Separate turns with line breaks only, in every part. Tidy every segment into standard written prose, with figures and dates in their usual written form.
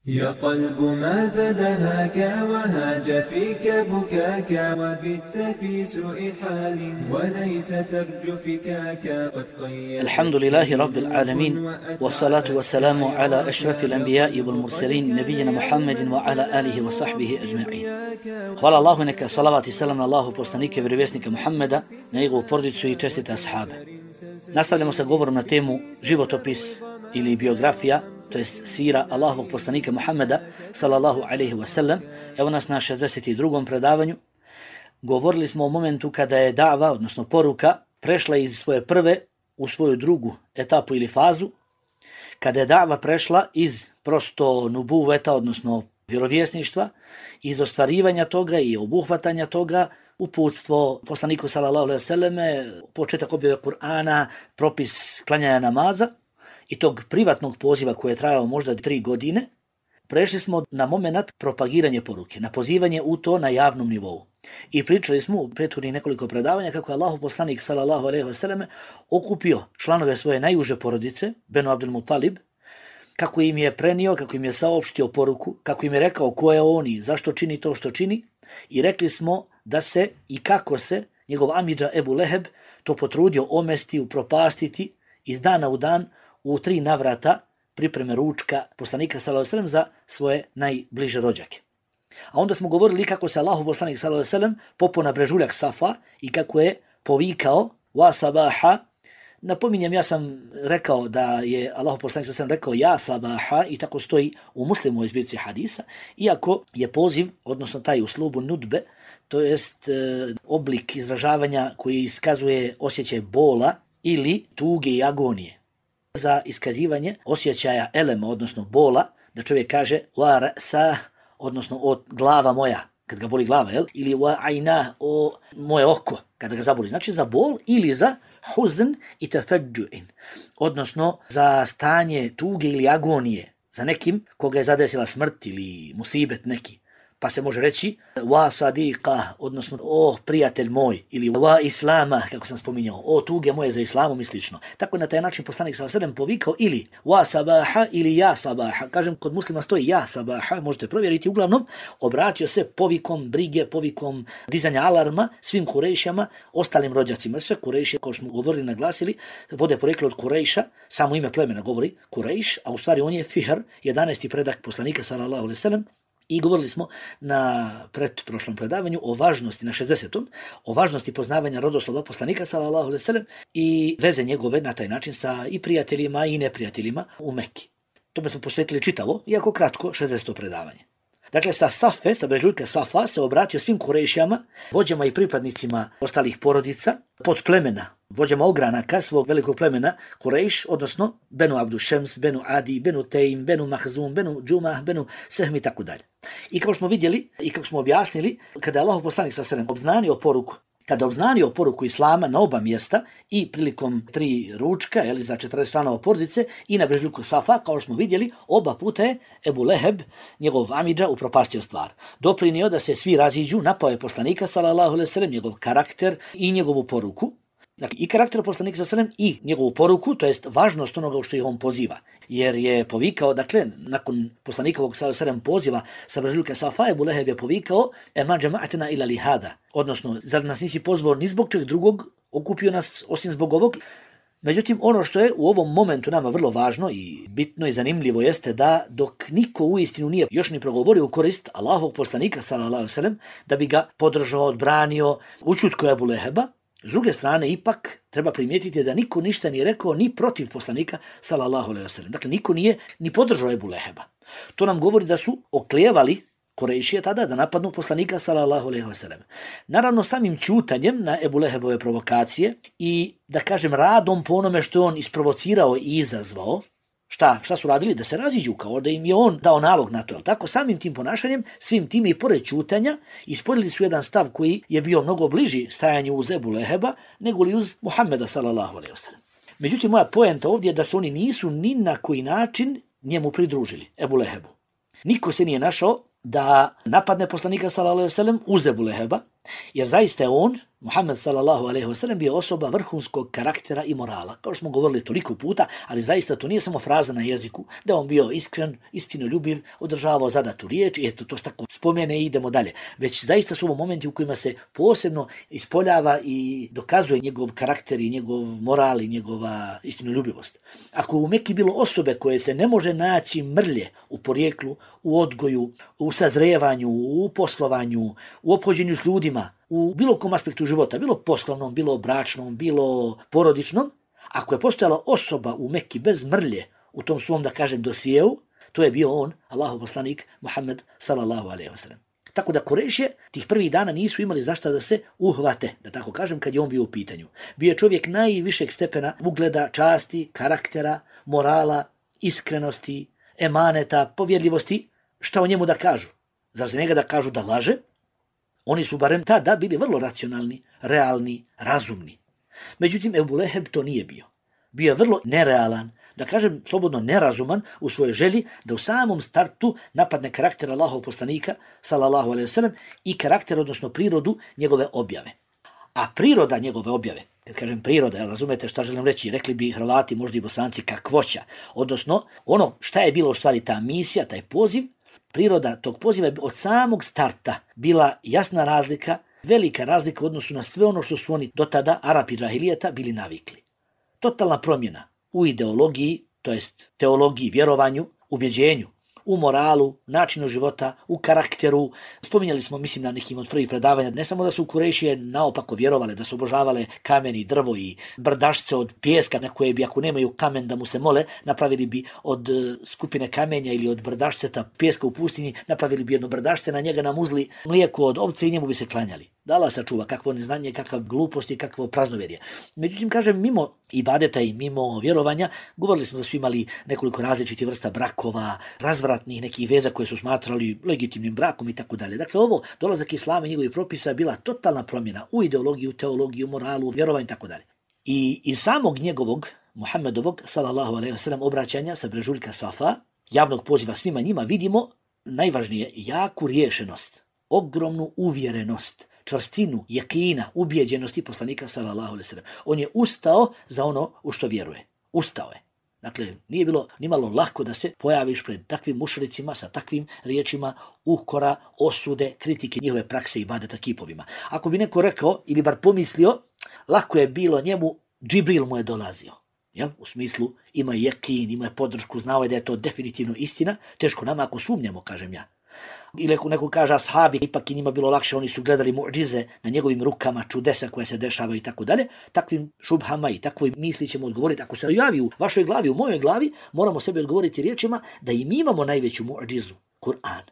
يا قلب ماذا دهاك وهاج فيك بكاك وبت في سوء حال وليس ترجو فكاك قد قيد.
الحمد لله رب العالمين والصلاة والسلام على أشرف الأنبياء والمرسلين نبينا محمد وعلى آله وصحبه أجمعين. Hvala Allahu, neka salavat i selam na Allahu poslanike, vjerovjesnika Muhammeda, na njegovu porodicu i čestite ashabe. Nastavljamo sa govorom na temu životopis ili biografija, to jest sira Allahovog poslanika Muhammeda sallallahu alaihi wasallam. Evo nas na 62. predavanju. Govorili smo o momentu kada je da'va, odnosno poruka, prešla iz svoje prve u svoju drugu etapu ili fazu, kada je da'va prešla iz prosto nubuveta, odnosno vjerovjesništva, iz ostvarivanja toga i obuhvatanja toga, uputstvo poslaniku sallallahu alejhi ve selleme, početak objave Kur'ana, propis klanjanja namaza i tog privatnog poziva koji je trajao možda 3 godine, prešli smo na moment propagiranje poruke, na pozivanje u to na javnom nivou. I pričali smo u prethodnih nekoliko predavanja kako je Allahov poslanik sallallahu alejhi ve selleme okupio članove svoje najuže porodice, Benu Abdul Mutalib, kako im je prenio, kako im je saopštio poruku, kako im je rekao ko je on i zašto čini to što čini, i rekli smo da se i kako se njegov amidža Ebu Leheb to potrudio omesti, upropastiti iz dana u dan u 3 navrata pripreme ručka poslanika sallallahu alejhi ve sellem za svoje najbliže rođake. A onda smo govorili kako se Allahov poslanik sallallahu alejhi ve sellem popeo na brežuljak Safa i kako je povikao wa sabaha. Napominjem, ja sam rekao da je Allahov poslanik sallallahu alejhi ve sellem rekao ja sabaha i tako stoji u Muslimovoj zbirci hadisa, iako je poziv, odnosno taj uslubu nudbe, to jest oblik izražavanja koji iskazuje osjećaj bola ili tuge i agonije. Za iskazivanje osjećaja elema, odnosno bola, da čovjek kaže wa ra'sa, odnosno o glava moja, kad ga boli glava, jel? Ili wa ayna, o moje oko, kada ga zaboli. Znači za bol ili za huzn i tafadju'in, odnosno za stanje tuge ili agonije za nekim koga je zadesila smrt ili musibet neki. Pa se može reći wa sadiqa, odnosno o prijatelj moj, ili wa islama, kako sam spominjao, o tuge moje za islamom i slično. Tako na taj način poslanik sallallahu alejhi ve sellem povikao ili wa sabaha ili ja sabaha. Kažem, kod muslima stoji ja sabaha, možete provjeriti. Uglavnom, obratio se povikom brige, povikom dizanja alarma svim Kurejšama, ostalim rođacima. Sve Kurejše, kao što smo govorili, naglasili, vode poreklo od Kurejša, samo ime plemena govori Kurejš, a u stvari on je Fihr, 11. predak poslanika sallallahu alejhi ve sellem. I govorili smo na pretprošlom predavanju o važnosti, na 60. o važnosti poznavanja rodoslova poslanika sallallahu alejhi ve sellem i veze njegove na taj način sa i prijateljima i neprijateljima u Mekki. Tome smo posvetili čitavo, iako kratko, 60. predavanje. Dakle, sa Safe, sa brežuljka Safa, se obratio svim Kurejšijama, vođama i pripadnicima ostalih porodica, pod plemena, vođama ogranaka svog velikog plemena Kurejš, odnosno Benu Abdu Šems, Benu Adi, Benu Tejm, Benu Mahzum, Benu Džumah, Benu Sehmi i tako dalje. I kao smo vidjeli i kako smo objasnili, kada je Allahov poslanik sallallahu alejhi ve sellem obznanio poruku, kada obznanio poruku islama na oba mjesta i prilikom 3 ručka, ili za 40 članova porodice i na brežuljku Safa, kao što smo vidjeli, oba puta je Ebu Leheb, njegov amidža, upropastio stvar. Doprinio da se svi raziđu, napao je poslanika sallallahu alejhi ve sellem, njegov karakter i njegovu poruku. Dakle, i karakter poslanika sallallahu alejhi ve sellem i njegovu poruku, to jest važnost onoga što ih on poziva. Jer je povikao, dakle, nakon poslanikovog sallallahu alejhi ve sellem poziva sa brežuljka Safa, Ebu Leheb je povikao ema džema'atena ila li hada, odnosno, zar nas nisi pozvao ni zbog čeg drugog, okupio nas osim zbog ovog. Međutim, ono što je u ovom momentu nama vrlo važno i bitno i zanimljivo jeste da dok niko uistinu nije još ni progovorio u korist Allahovog poslanika sallallahu alejhi ve sellem, da bi ga podržao, odbranio, ućutko Ebu Leheba, s druge strane, ipak treba primijetiti da niko ništa nije rekao ni protiv poslanika sallallahu alejhi ve sellem. Dakle, niko nije ni podržao Ebu Leheba. To nam govori da su oklijevali Kurejšije tada da napadnu poslanika sallallahu alejhi ve sellem. Naravno, samim ćutanjem na Ebu Lehebove provokacije i, da kažem, radom po onome što on isprovocirao i izazvao, šta su radili? Da se raziđu, kao da im je on dao nalog na to. Tako, samim tim ponašanjem, svim tim i pored ćutanja, isporili su jedan stav koji je bio mnogo bliži stajanju uz Ebu Leheba nego li uz Muhammeda sallallahu alejhi ve sellem. Međutim, moja poenta ovdje je da se oni nisu ni na koji način njemu pridružili, Ebu Lehebu. Niko se nije našao da napadne poslanika sallallahu alejhi ve sellem uz Ebu Leheba, jer zaista je on, Muhammed sallallahu alejhi ve sellem bio osoba vrhunskog karaktera i morala. Kao što smo govorili toliko puta, ali zaista to nije samo fraza na jeziku, da on bio iskren, istinoljubiv, održavao zadatu riječ i eto to tako spomene i idemo dalje. Već zaista su ovo momenti u kojima se posebno ispoljava i dokazuje njegov karakter i njegov moral i njegova istinoljubivost. Ako u Meki bilo osobe koje se ne može naći mrlje u porijeklu, u odgoju, u sazrevanju, u poslovanju, u ophođenju s ljudima, u bilo kom aspektu života, bilo poslovnom, bilo bračnom, bilo porodičnom, ako je postojala osoba u Mekki bez mrlje u tom svom, da kažem, dosijeu, to je bio on, Allahov poslanik Muhammed sallallahu alejhi ve sellem. Tako da Kurejšije tih prvih dana nisu imali zašta da se uhvate, da tako kažem, kad je on bio u pitanju. Bio je čovjek najvišeg stepena ugleda, časti, karaktera, morala, iskrenosti, emaneta, povjerljivosti. Šta o njemu da kažu? Zar za njega da kažu da laže? Oni su barem tada bili vrlo racionalni, realni, razumni. Međutim, Ebu Leheb to nije bio. Bio je vrlo nerealan, da kažem slobodno nerazuman u svojoj želji da u samom startu napadne karakter Allahov poslanika, sallallahu alejhi ve sellem, i karakter, odnosno prirodu njegove objave. A priroda njegove objave, kad kažem priroda, razumete šta želim reći, rekli bi Hrvati, možda i Bosanci, kakvoća, odnosno ono šta je bilo u stvari ta misija, taj poziv, priroda tog poziva je od samog starta bila jasna razlika, velika razlika u odnosu na sve ono što su oni do tada, Arapi džahilijeta, bili navikli. Totalna promjena u ideologiji, to jest teologiji, vjerovanju, ubjeđenju, u moralu, načinu života, u karakteru. Spominjali smo, mislim, na nekim od prvih predavanja, ne samo da su Kurejšije naopako vjerovale, da su obožavale kamen i drvo i brdašce od pijeska, na koje bi, ako nemaju kamen da mu se mole, napravili bi od skupine kamenja ili od brdašceta pijeska u pustinji, napravili bi jedno brdašce, na njega namuzli mlijeko od ovce i njemu bi se klanjali. Da Allah sačuva, kakvo neznanje, kakva glupost i kakvo praznovjerje. Međutim, kažem, mimo ibadeta i mimo vjerovanja, govorili smo da su imali nekoliko različitih vrsta brakova, razvratnih nekih veza koje su smatrali legitimnim brakom i tako dalje. Dakle, ovo, dolazak islama i njegovih propisa je bila totalna promjena u ideologiju, teologiju, moralu, vjerovanju i tako dalje. I iz samog njegovog, Muhammedovog, sallallahu alejhi ve sellem, obraćanja sa brežuljka Safa, javnog poziva svima njima, vidimo najvažnije jaku riješenost, ogromnu uvjerenost, čvrstinu, jakina, ubjeđenosti poslanika sallallahu alejhi ve sellem. On je ustao za ono u što vjeruje. Ustao je. Dakle, nije bilo nimalo lako da se pojaviš pred takvim mušricima sa takvim riječima ukora, osude, kritike njihove prakse i ibadeta kipovima. Ako bi neko rekao ili bar pomislio, lako je bilo njemu, Džibril mu je dolazio. Jel? U smislu ima jakin, ima podršku, znao je da je to definitivno istina, teško nama ako sumnjamo, kažem ja. Ili ako neko kaže ashabi, ipak i njima bilo lakše, oni su gledali muđize na njegovim rukama, čudesa koje se dešavaju i tako dalje, takvim šubhama i takvoj misli ćemo odgovoriti. Ako se javi u vašoj glavi, u mojoj glavi, moramo sebi odgovoriti riječima da i mi imamo najveću muđizu, Kur'an.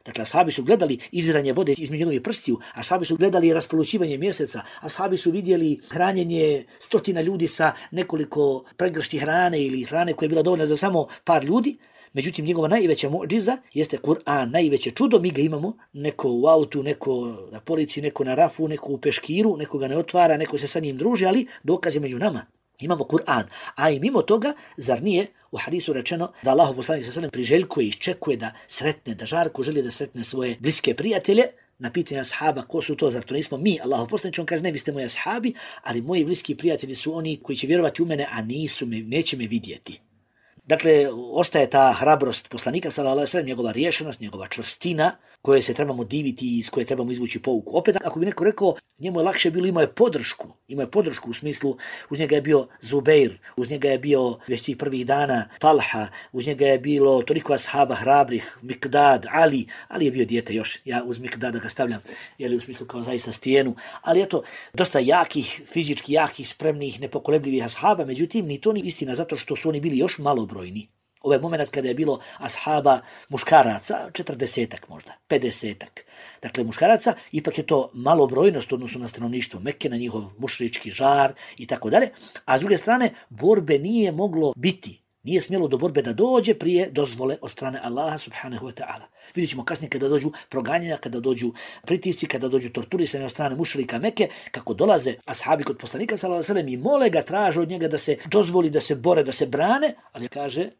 Dakle, ashabi su gledali izviranje vode između njegovih prstiju, ashabi su gledali raspolućivanje mjeseca, ashabi su vidjeli hranjenje stotina ljudi sa nekoliko pregršti hrane ili hrane koja je bila dovoljna za samo par ljudi. Međutim, njegova najveća muđiza jeste Kur'an, najveće čudo, mi ga imamo, neko u autu, neko na policiji, neko na rafu, neko u peškiru, neko ga ne otvara, neko se sa njim druži, ali dokaz je među nama. Imamo Kur'an, a i mimo toga, zar nije u hadisu rečeno da Allahov poslanik sallallahu alejhi ve sellem priželjkuje i iščekuje da sretne, da žarko želi da sretne svoje bliske prijatelje? Na pitanje ashaba, ko su to, zar to nismo mi, Allahov poslanik, on kaže, ne, vi ste moji ashabi, ali moji bliski prijatelji su oni koji će vjerovati u mene, a neće me vidjeti. Dakle, ostaje ta hrabrost poslanika, sallallahu alejhi ve sellem, njegova riješenost, njegova čvrstina, koje se trebamo diviti i iz koje trebamo izvući pouku. Opet, ako bi neko rekao, njemu je lakše bilo, imao je podršku u smislu, uz njega je bio Zubeir, uz njega je bio već tih prvih dana Talha, uz njega je bilo toliko ashaba hrabrih, Mikdad, Ali je bio dijete još, ja uz Mikdada ga stavljam, u smislu kao zaista stijenu, ali eto, dosta jakih, fizički jakih, spremnih, nepokolebljivih ashaba, međutim, ni to ni istina, zato što su oni bili još malobrojni. Ovaj moment kada je bilo ashaba muškaraca, 40-ak možda, 50-ak. Dakle, muškaraca, ipak je to malobrojnost odnosno na stanovništvo Mekke, na njihov mušrički žar i tako dalje. A s druge strane, borbe nije moglo biti, nije smjelo do borbe da dođe prije dozvole od strane Allaha subhanahu wa ta'ala. Vidjet ćemo kasnije kada dođu proganjanja, kada dođu pritisci, kada dođu torturisane od strane mušrika Mekke, kako dolaze ashabi kod poslanika sallallahu alejhi ve sellem i mole ga, traže od njega da se dozvoli, da se bore, da se brane, ali kaže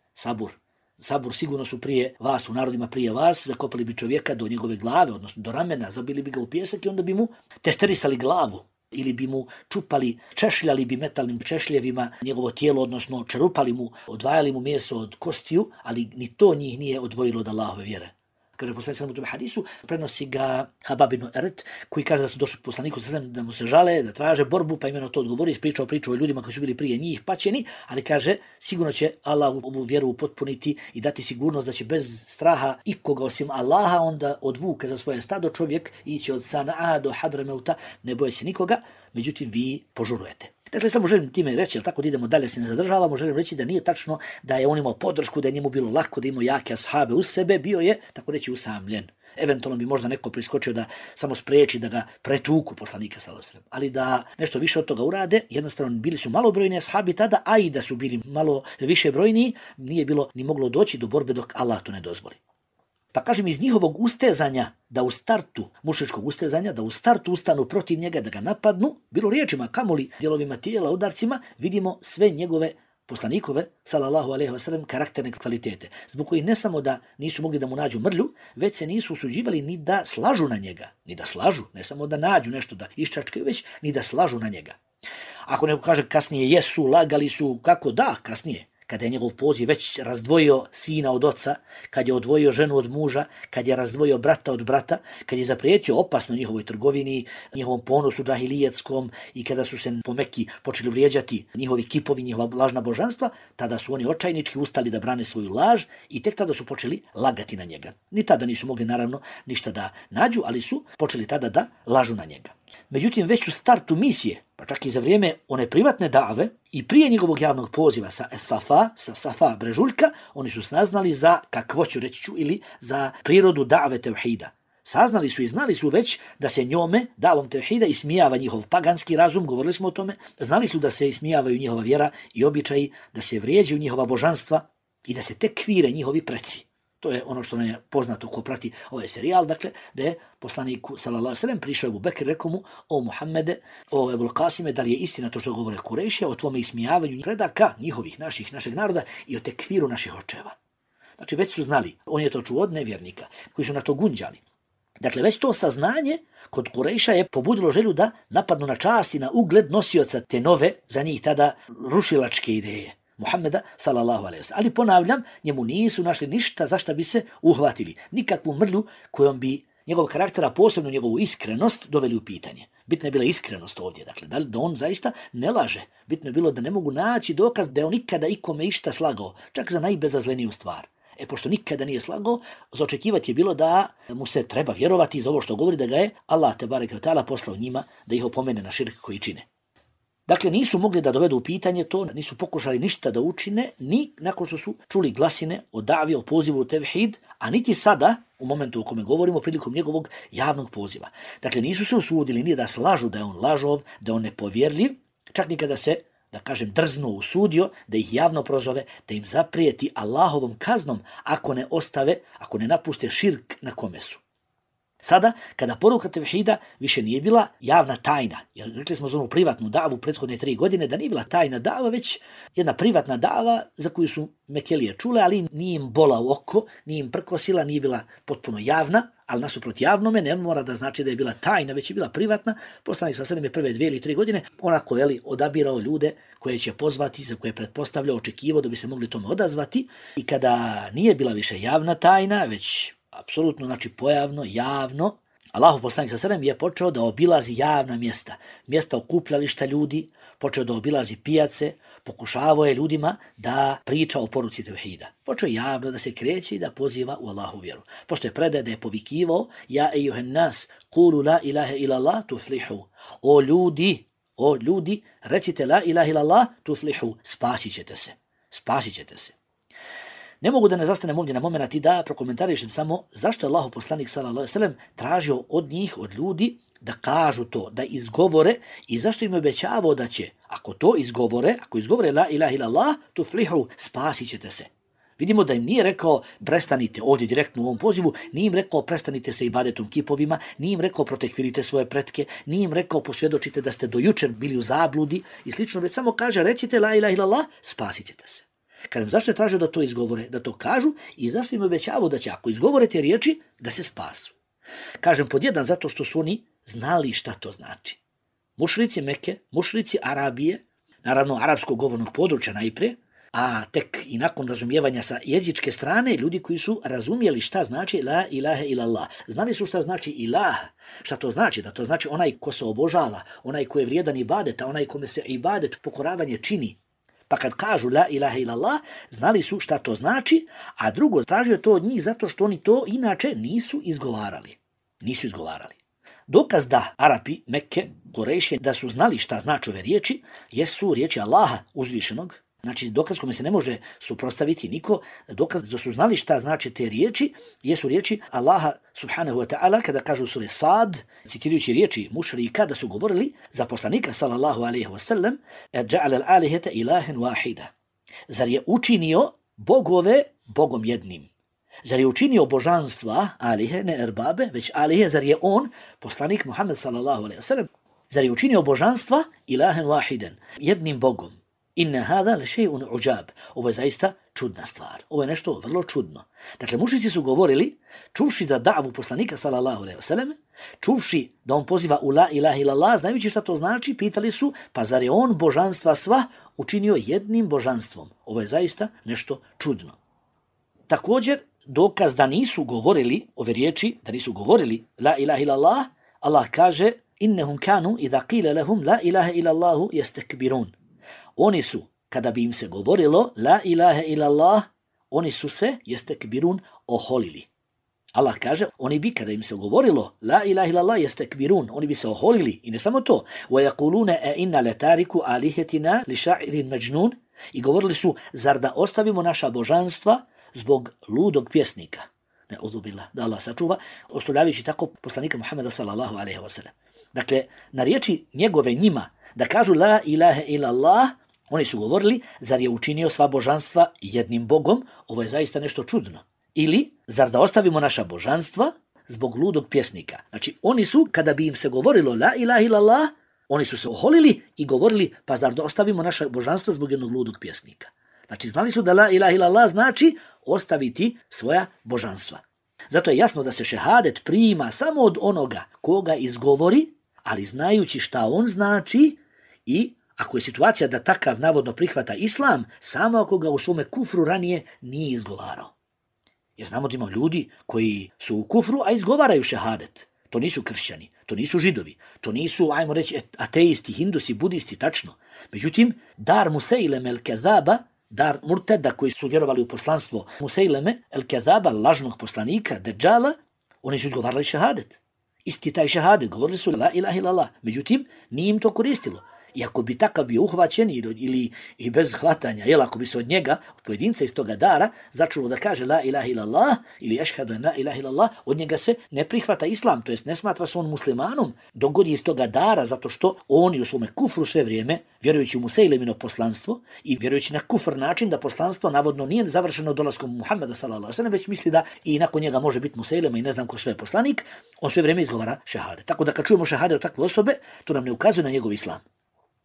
sabur, sigurno su prije vas, u narodima prije vas, zakopali bi čovjeka do njegove glave, odnosno do ramena, zabili bi ga u pijesak i onda bi mu testerisali glavu. ili bi mu čupali, češljali bi metalnim češljevima njegovo tijelo, odnosno čerupali mu, odvajali mu meso od kostiju, ali ni to njih nije odvojilo od Allahove vjere. Kaže poslanik sallallahu alejhi ve hadisu, prenosi ga Habab ibn Eret, koji kaže da su došli poslaniku sallallahu da mu se žale, da traže borbu, pa imeno to odgovori, ispričao priču o ljudima koji su bili prije njih paćeni, ali kaže sigurno će Allah ovu vjeru upotpuniti i dati sigurnost da će bez straha ikoga osim Allaha onda odvuke za svoje stado čovjek ići od Sana'a do Hadrameuta, ne boje se nikoga, međutim vi požurujete. Dakle, samo želim time reći, ali tako da idemo dalje, se ne zadržavamo, želim reći da nije tačno da je on imao podršku, da je njemu bilo lako, da imao jake ashabe uz sebe, bio je, tako reći, usamljen. Eventualno bi možda neko priskočio da samo spriječi da ga pretuku poslanika sallallahu alejhi ve sellem, ali da nešto više od toga urade, jednostavno bili su malobrojni ashabi tada, a i da su bili malo više brojni, nije bilo ni moglo doći do borbe dok Allah to ne dozvoli. Pa kažem, iz njihovog ustezanja, da u startu, mušičkog ustezanja, da u startu ustanu protiv njega, da ga napadnu, bilo riječima, kamoli dijelovima tijela, udarcima, vidimo sve njegove poslanikove, sallallahu alejhi ve sellem, karakterne kvalitete, zbog kojih ne samo da nisu mogli da mu nađu mrlju, već se nisu usuđivali ni da slažu na njega, ni da slažu, ne samo da nađu nešto da iščačkaju, već ni da slažu na njega. Ako neko kaže kasnije jesu, lagali su, kako da, kasnije, kada je njegov poziv već razdvojio sina od oca, kad je odvojio ženu od muža, kad je razdvojio brata od brata, kad je zaprijetio opasno njihovoj trgovini, njihovom ponosu džahilijetskom i kada su se po Mekki počeli vrijeđati njihovi kipovi, njihova lažna božanstva, tada su oni očajnički ustali da brane svoju laž i tek tada su počeli lagati na njega. Ni tada nisu mogli naravno ništa da nađu, ali su počeli tada da lažu na njega. Međutim, već u startu misije, pa čak i za vrijeme one privatne dave i prije njegovog javnog poziva sa Safa brežuljka, oni su saznali za kakvoću, reći ću, ili za prirodu dave tevhida. Saznali su i znali su već da se njome, davom tevhida, ismijava njihov paganski razum, govorili smo o tome, znali su da se ismijavaju njihova vjera i običaji, da se vrijeđaju njihova božanstva i da se tekvire njihovi preci. To je ono što nam je poznato ko prati ovaj serijal, dakle, da je poslaniku sallallahu alejhi ve sellem prišao Ebu Bekr, rekao mu: o Muhammede, o Ebul Kasime, da li je istina to što govore Kurejšija, o tvome ismijavanju predaka njihovih, našeg naroda i o tekviru naših očeva. Znači, već su znali, on je to čuo od nevjernika, koji su na to gunđali. Dakle, već to saznanje kod Kurejša je pobudilo želju da napadnu na čast i na ugled nosioca te nove, za njih tada rušilačke ideje Muhammeda sallallahu alejhi ve sellem. Ali ponavljam, njemu nisu našli ništa za šta bi se uhvatili, nikakvu mrlju kojom bi njegov karakter, a posebno njegovu iskrenost, doveli u pitanje. Bitno je bila iskrenost ovdje, dakle, da on zaista ne laže. Bitno je bilo da ne mogu naći dokaz da je on nikada ikome išta slagao, čak za najbezazleniju stvar. Pošto nikada nije slagao, za očekivati je bilo da mu se treba vjerovati za ovo što govori, da ga je Allah tebareke ve taala poslao njima da ih opomene na širk koji čine. Dakle, nisu mogli da dovedu u pitanje to, nisu pokušali ništa da učine, ni nakon što su čuli glasine o davi, o pozivu u tevhid, a niti sada, u momentu o kome govorimo, prilikom njegovog javnog poziva. Dakle, nisu se usudili ni da slažu da je on lažov, da on nepovjerljiv, čak nikada se, da kažem, drznuo, usudio da ih javno prozove, da im zaprijeti Allahovom kaznom ako ne ostave, ako ne napuste širk na kome su. Sada, kada poruka tevhida više nije bila javna tajna, jer rekli smo za onu privatnu davu prethodne 3 godine da nije bila tajna dava, već jedna privatna dava za koju su Mekelije čule, ali nije im bola u oko, nije im prkosila, nije bila potpuno javna, ali nasuprot javnome ne mora da znači da je bila tajna, već je bila privatna. Poslanik sallallahu alejhi ve sellem je prve 2 ili 3 godine onako odabirao ljude koje će pozvati, za koje pretpostavljao, očekivao da bi se mogli tome odazvati, i kada nije bila više javna tajna, već apsolutno, znači pojavno, javno, Allahov poslanik sallallahu alejhi ve sellem je počeo da obilazi javna mjesta, mjesta okupljališta ljudi, počeo da obilazi pijace, pokušavao je ljudima da priča o poruci tevhida. Počeo javno da se kreće i da poziva u Allahu vjeru. Pošto je predaje da je povikivao: ja ejuhen nas, kulu la ilaha illallah tuflihu. O ljudi, recite la ilaha illallah tuflihu, spasit ćete se. Ne mogu da ne zastanem ovdje na moment i da prokomentarišem samo zašto je Allahov poslanik sallallahu alejhi ve sellem tražio od njih, od ljudi, da kažu to, da izgovore, i zašto im je obećavao da će, ako izgovore la ilaha illallah tuflihu, spasit ćete se. Vidimo da im nije rekao prestanite ovdje direktno u ovom pozivu, nije im rekao prestanite se ibadetom kipovima, nije im rekao protekvirite svoje pretke, nije im rekao posvjedočite da ste do jučer bili u zabludi i slično, već samo kaže recite la ilaha illallah, spasit ćete se. Kažem, zašto je tražio da to izgovore, da to kažu, i zašto im obećavao da će, ako izgovore te riječi, da se spasu. Kažem, pod jedan, zato što su oni znali šta to znači. mušrici Mekke, mušrici Arabije, naravno arapskog govornog područja najprije, a tek i nakon razumijevanja sa jezičke strane, ljudi koji su razumjeli šta znači la ilaha illallah. Znali su šta znači ilah, šta to znači, da to znači onaj ko se obožava, onaj ko je vrijedan ibadeta, onaj kome se ibadet, pokoravanje čini. Pa kad kažu la ilaha illallah, znali su šta to znači, a drugo, tražio to od njih zato što oni to inače nisu izgovarali. Nisu izgovarali. Dokaz da Arapi, Mekke, Kurejši, da su znali šta znači ove riječi, jesu riječi Allaha uzvišenog. Znači, dokaz kome se ne može suprotstaviti niko, dokaz da su znali šta znači te riječi, jesu riječi Allaha subhanahu wa ta'ala kada kažu u suri Sad, citirajući riječi mušrika da su govorili za poslanika sallallahu alaihi wa sallam, ja'ala al-alihata ilahan wahida. Zar je učinio bogove bogom jednim? Zar je učinio božanstva, alihe, ne erbabe, već alihe, zar je on, poslanik Muhammed sallallahu alaihi wa sallam, zar je učinio božanstva ilahan wahiden, jednim bogom? Inna hada le shay'un ujab. Ovo je zaista čudna stvar. Ovo je nešto vrlo čudno. Dakle, mušrici su govorili, čuvši za da'vu poslanika sallallahu alejhi ve sellem, čuvši da on poziva u la ilaha illallah, znajući šta to znači, pitali su, pa zar je on božanstva sva učinio jednim božanstvom? Ovo je zaista nešto čudno. Također, dokaz da nisu govorili ove riječi, da nisu govorili la ilaha illallah, Allah kaže, innahum kanu idha qila lahum la ilaha illallah yastakbirun. Oni su, kada bi im se govorilo la ilaha illallah, oni su se, yastakbirun, oholili. Allah kaže, oni bi, kada im se govorilo la ilaha illallah yastakbirun, oni bi se oholili, i ne samo to, وَيَقُولُونَ أَإِنَّ لَتَارِكُ آلِهَتِنَا لِشَاعِرٍ مَجْنُونَ, i govorili su, zar da ostavimo naša božanstva zbog ludog pjesnika? Ne, uzubila, da Allah sačuva, ostavljajući tako poslanika Muhammeda sallallahu alaihi wa sallam. Dakle, na riječi njegove njima, da kažu la ilaha illallah, oni su govorili, zar je učinio sva božanstva jednim bogom? Ovo je zaista nešto čudno. Ili, zar da ostavimo naša božanstva zbog ludog pjesnika? Znači, oni su, kada bi im se govorilo la ilaha illallah, oni su se oholili i govorili, pa zar da ostavimo naša božanstva zbog jednog ludog pjesnika? Znači, znali su da la ilaha illallah znači ostaviti svoja božanstva. Zato je jasno da se šehadet prima samo od onoga koga izgovori, ali znajući šta on znači, i ako je situacija da takav navodno prihvata islam, samo ako ga u svome kufru ranije nije izgovarao. Jer znamo da ima ljudi koji su u kufru, a izgovaraju šehadet. To nisu kršćani, to nisu židovi, to nisu, ajmo reći, ateisti, hindusi, budisti, tačno. Međutim, dar Museileme el-Kezaba, dar murteda koji su vjerovali u poslanstvo Museileme el-Kezaba, lažnog poslanika, Dejjala, oni su izgovarali šehadet. Isti taj šehadet, govorili su la ilaha illallah. Međutim, nije im to koristilo. I ako bi takav bio uhvaćen ili i bez hvatanja, jel, ako bi se od njega, od pojedinca iz toga dara, začulo da kaže la ilaha illallah ili ešhadu en la ilaha illallah, od njega se ne prihvata islam, to jest ne smatra se on muslimanom, dok god je iz toga dara, zato što oni u svome kufru sve vrijeme, vjerujući u Musejlemino poslanstvo i vjerujući na kufr način da poslanstvo navodno nije završeno dolaskom Muhammeda sallallahu alejhi ve sellem, već misli da i nakon njega može biti Musejlema i ne znam ko sve poslanik, on sve vrijeme izgovara šehade. Tako da kad čujemo šehade od takve osobe, to nam ne ukazuje na njegov islam.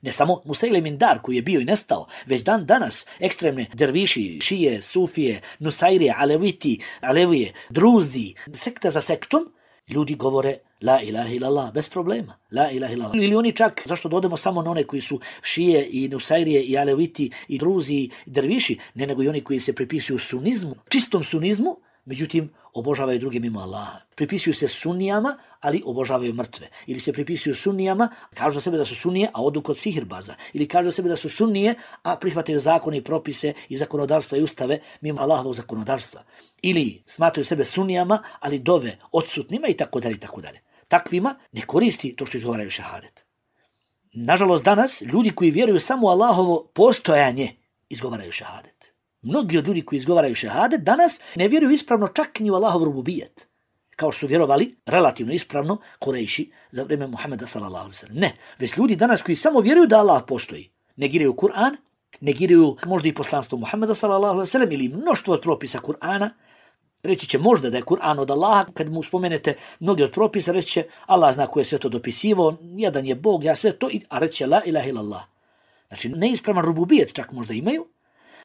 Ne samo Musejlemin dar koji je bio i nestao, već dan danas ekstremne derviši, šije, sufije, nusairije, aleviti, alevije, druzi, sekta za sektom, ljudi govore la ilaha illallah bez problema, la ilaha illallah. Ili oni čak, zašto dodemo samo na one koji su šije i nusairije i aleviti i druzi i derviši, ne nego i oni koji se pripisuju sunizmu, čistom sunizmu, međutim, obožavaju druge mimo Allaha. Pripisuju se sunnijama, ali obožavaju mrtve. Ili se pripisuju sunnijama, kažu za sebe da su sunnije, a odu kod sihirbaza. Ili kažu za sebe da su sunnije, a prihvataju zakone i propise i zakonodavstva i ustave mimo Allahovog zakonodavstva. Ili smatraju sebe sunnijama, ali dove odsutnima i tako dalje i tako dalje. Takvima ne koristi to što izgovaraju šehadet. Nažalost, danas ljudi koji vjeruju samo u Allahovo postojanje izgovaraju šehadet. Mnogi od ljudi koji izgovaraju šehadet danas ne vjeruju ispravno čak ni u Allahov rububijet, kao što su vjerovali relativno ispravno Kurejši za vrijeme Muhammeda sallallahu alejhi ve sellem. Ne, već ljudi danas koji samo vjeruju da Allah postoji, negiraju Kur'an, negiraju možda i poslanstvo Muhammeda sallallahu alejhi ve sellem ili mnoštvo od propisa Kur'ana. Reći će možda da je Kur'an od Allaha, kad mu spomenete mnogi od propisa, reći će Allah zna ko je sve to dopisivao, jedan je Bog, ja sve to, a reći će la ilaha illallah. Znači neispravan rububijet čak možda imaju,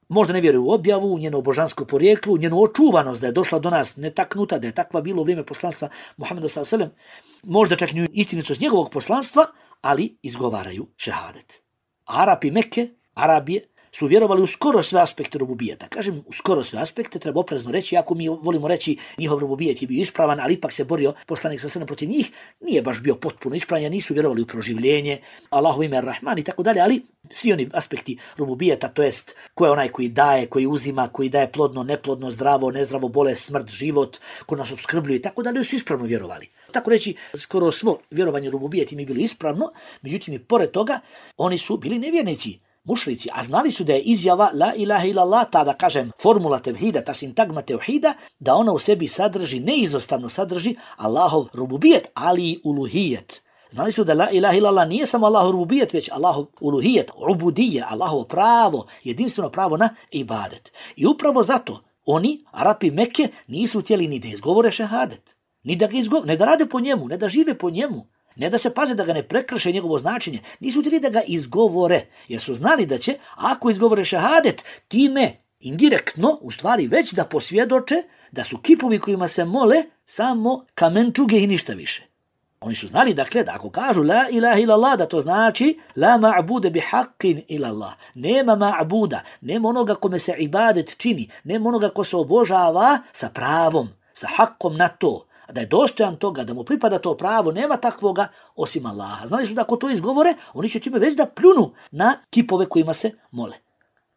možda ne vjeruju u objavu, u njeno božansko porijeklo, u njenu očuvanost da je došla do nas netaknuta, da je takva bilo u vrijeme poslanstva Muhameda s.a.v. Možda čak i istinitost njegovog poslanstva, ali izgovaraju šehadet. Arapi Mekke, Arabije, su vjerovali u skoro sve aspekte rububijeta. Kažem, u skoro sve aspekte treba oprezno reći, iako mi volimo reći njihov rububijet je bio ispravan, ali ipak se borio poslanik s.a.v. protiv njih, nije baš bio potpuno ispravan, nisu vjerovali u proživljenje, Allahu ime Ar-Rahman i tako dalje, ali svi oni aspekti rububijeta, to jest ko je onaj koji daje, koji uzima, koji daje plodno, neplodno, zdravo, nezdravo, bolest, smrt, život, ko nas opskrbljuje i tako dalje, su ispravno vjerovali. Tako reći, skoro svo vjerovanje u rububijet im je bilo ispravno, međutim i pored toga oni su bili nevjernici, mušrici, a znali su da je izjava la ilaha illallah, ta da kažem formula tevhida, ta sintagma tevhida, da ona u sebi sadrži, neizostavno sadrži Allahov rububijet, ali i uluhijet. Znali su da la ilaha illallah nije samo Allahov rububijet, već Allahov uluhijet, ubudije, Allahovo pravo, jedinstveno pravo na ibadet. I upravo zato oni, Arapi Mekke, nisu htjeli ni da izgovore šehadet, ni da ga ne da rade po njemu, ne da žive po njemu, ne da se paze da ga ne prekrše njegovo značenje, nisu htjeli da ga izgovore, jer su znali da će, ako izgovore šehadet, time indirektno, u stvari već da posvjedoče da su kipovi kojima se mole samo kamenčuge i ništa više. Oni su znali, dakle, da ako kažu la ilaha illallah, da to znači la ma'bude bi haqqin illallah. Nema ma'buda, nema onoga kome se ibadet čini, nema onoga ko se obožava sa pravom, sa haqqom na to, da je dostojan toga, da mu pripada to pravo, nema takvoga osim Allaha. Znali su da ako to izgovore, oni će time već da pljunu na kipove kojima se mole.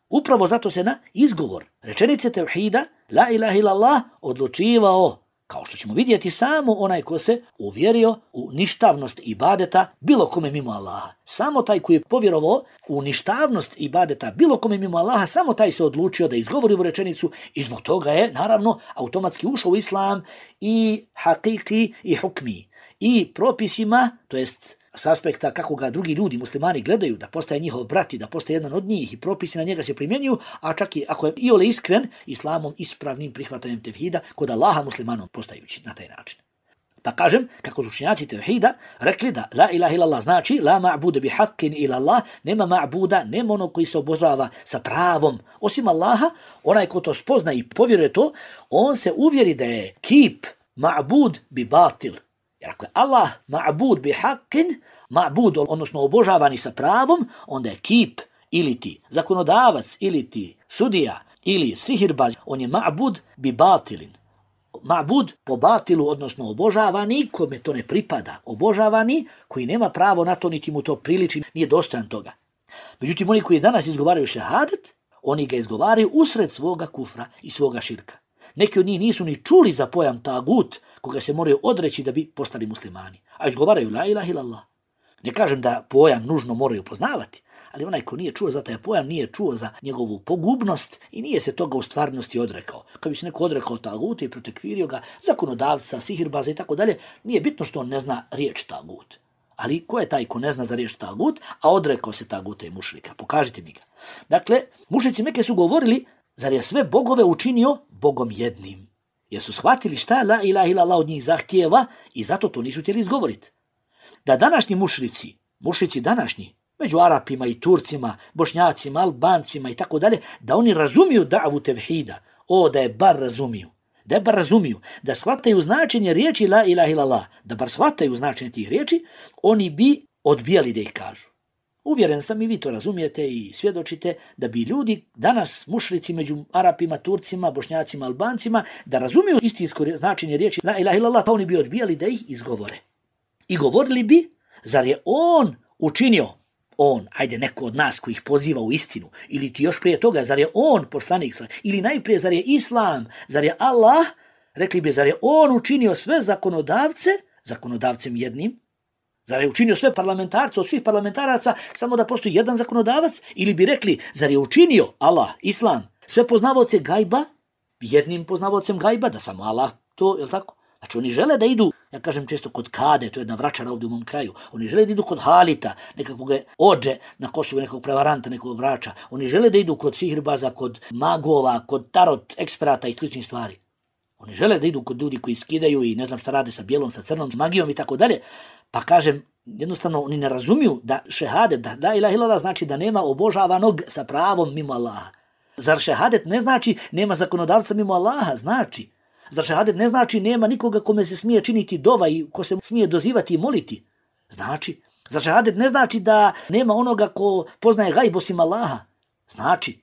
Upravo zato se na izgovor rečenice tevhida, la ilaha illallah, odlučivao, kao što ćemo vidjeti, samo onaj ko se uvjerio u ništavnost ibadeta bilo kome mimo Allaha. Samo taj koji je povjerovao u ništavnost ibadeta bilo kome mimo Allaha, samo taj se odlučio da izgovori ovu rečenicu i zbog toga je, naravno, automatski ušao u islam i hakiki i hukmi. I propisima, to jest s aspekta kako ga drugi ljudi, muslimani, gledaju, da postaje njihov brat i da postaje jedan od njih i propisi na njega se primjenjuju, a čak i ako je iole iskren, islamom ispravnim prihvatanjem tevhida kod Allaha muslimanom postajući na taj način. Pa kažem, kako su učenjaci tevhida rekli da la ilaha illallah znači la ma'bude bi haqqin illallah, nema ma'buda, nema onog koji se obožava sa pravom osim Allaha. Onaj ko to spozna i povjeruje to, on se uvjeri da je kip ma'bud bi batil. Jer ako je Allah ma'bud bi haqqin, ma'bud, odnosno obožavani sa pravom, onda je kip ili ti zakonodavac, ili ti sudija, ili sihirbaz, on je ma'bud bi batilin. Ma'bud po batilu, odnosno obožavani, kome to ne pripada. Obožavani koji nema pravo na to, niti mu to priliči, nije dostojan toga. Međutim, oni koji danas izgovaraju šehadet, oni ga izgovaraju usred svoga kufra i svoga širka. Neki od njih nisu ni čuli za pojam tagut, koga se moraju odreći da bi postali muslimani. A izgovaraju la ilaha illallah. Ne kažem da pojam nužno moraju poznavati, ali onaj ko nije čuo za taj pojam, nije čuo za njegovu pogubnost i nije se toga u stvarnosti odrekao. Kad bi se neko odrekao taguta i protekvirio ga, zakonodavca, sihirbaza i tako dalje, nije bitno što on ne zna riječ tagut. Ali ko je taj ko ne zna za riječ tagut, a odrekao se taguta i mušrika? Pokažite mi ga. Dakle, mušrici Mekke su govorili, zar je sve bogove učinio Bogom jednim? Jer su shvatili šta la ilaha illallah od njih zahtijeva i zato to nisu htjeli izgovoriti. Da današnji mušrici današnji, među Arapima i Turcima, Bošnjacima, Albancima i tako dalje, da oni razumiju da'vu tevhida, da je bar razumiju, da shvataju značenje riječi la ilaha illallah, da bar shvataju značenje tih riječi, oni bi odbijali da ih kažu. Uvjeren sam i vi to razumijete i svjedočite da bi ljudi danas, mušrici među Arapima, Turcima, Bošnjacima, Albancima, da razumiju istinsko značenje riječi la ilaha illallah, pa oni bi odbijali da ih izgovore. I govorili bi, zar je on učinio, ajde neko od nas koji ih poziva u istinu, ili ti još prije toga, zar je on poslanik, ili najprije zar je Islam, zar je Allah, rekli bi, zar je on učinio sve zakonodavcem jednim, zar je učinio sve parlamentarce od svih parlamentaraca samo da postoji jedan zakonodavac, ili bi rekli, zar je učinio Allah, Islam, sve poznavaoce gajba, jednim poznavaocem gajba, da samo Allah to, je li tako? Znači oni žele da idu, ja kažem često kod Kade, to je jedna vračara ovdje u mom kraju, oni žele da idu kod Halita, nekakvog ođe na Kosovu, nekog prevaranta, nekog vrača, oni žele da idu kod sihirbaza, kod magova, kod tarot eksperata i sličnih stvari. Oni žele da idu kod ljudi koji skidaju i ne znam šta rade sa bijelom, sa crnom, s magijom i tako dalje. Pa kažem, jednostavno oni ne razumiju da šehadet, da la ilaha illallah znači da nema obožavanog sa pravom mimo Allaha. Zar šehadet ne znači nema zakonodavca mimo Allaha? Znači. Zar šehadet ne znači nema nikoga kome se smije činiti dova i ko se smije dozivati i moliti? Znači. Zar šehadet ne znači da nema onoga ko poznaje gajb osim Allaha? Znači.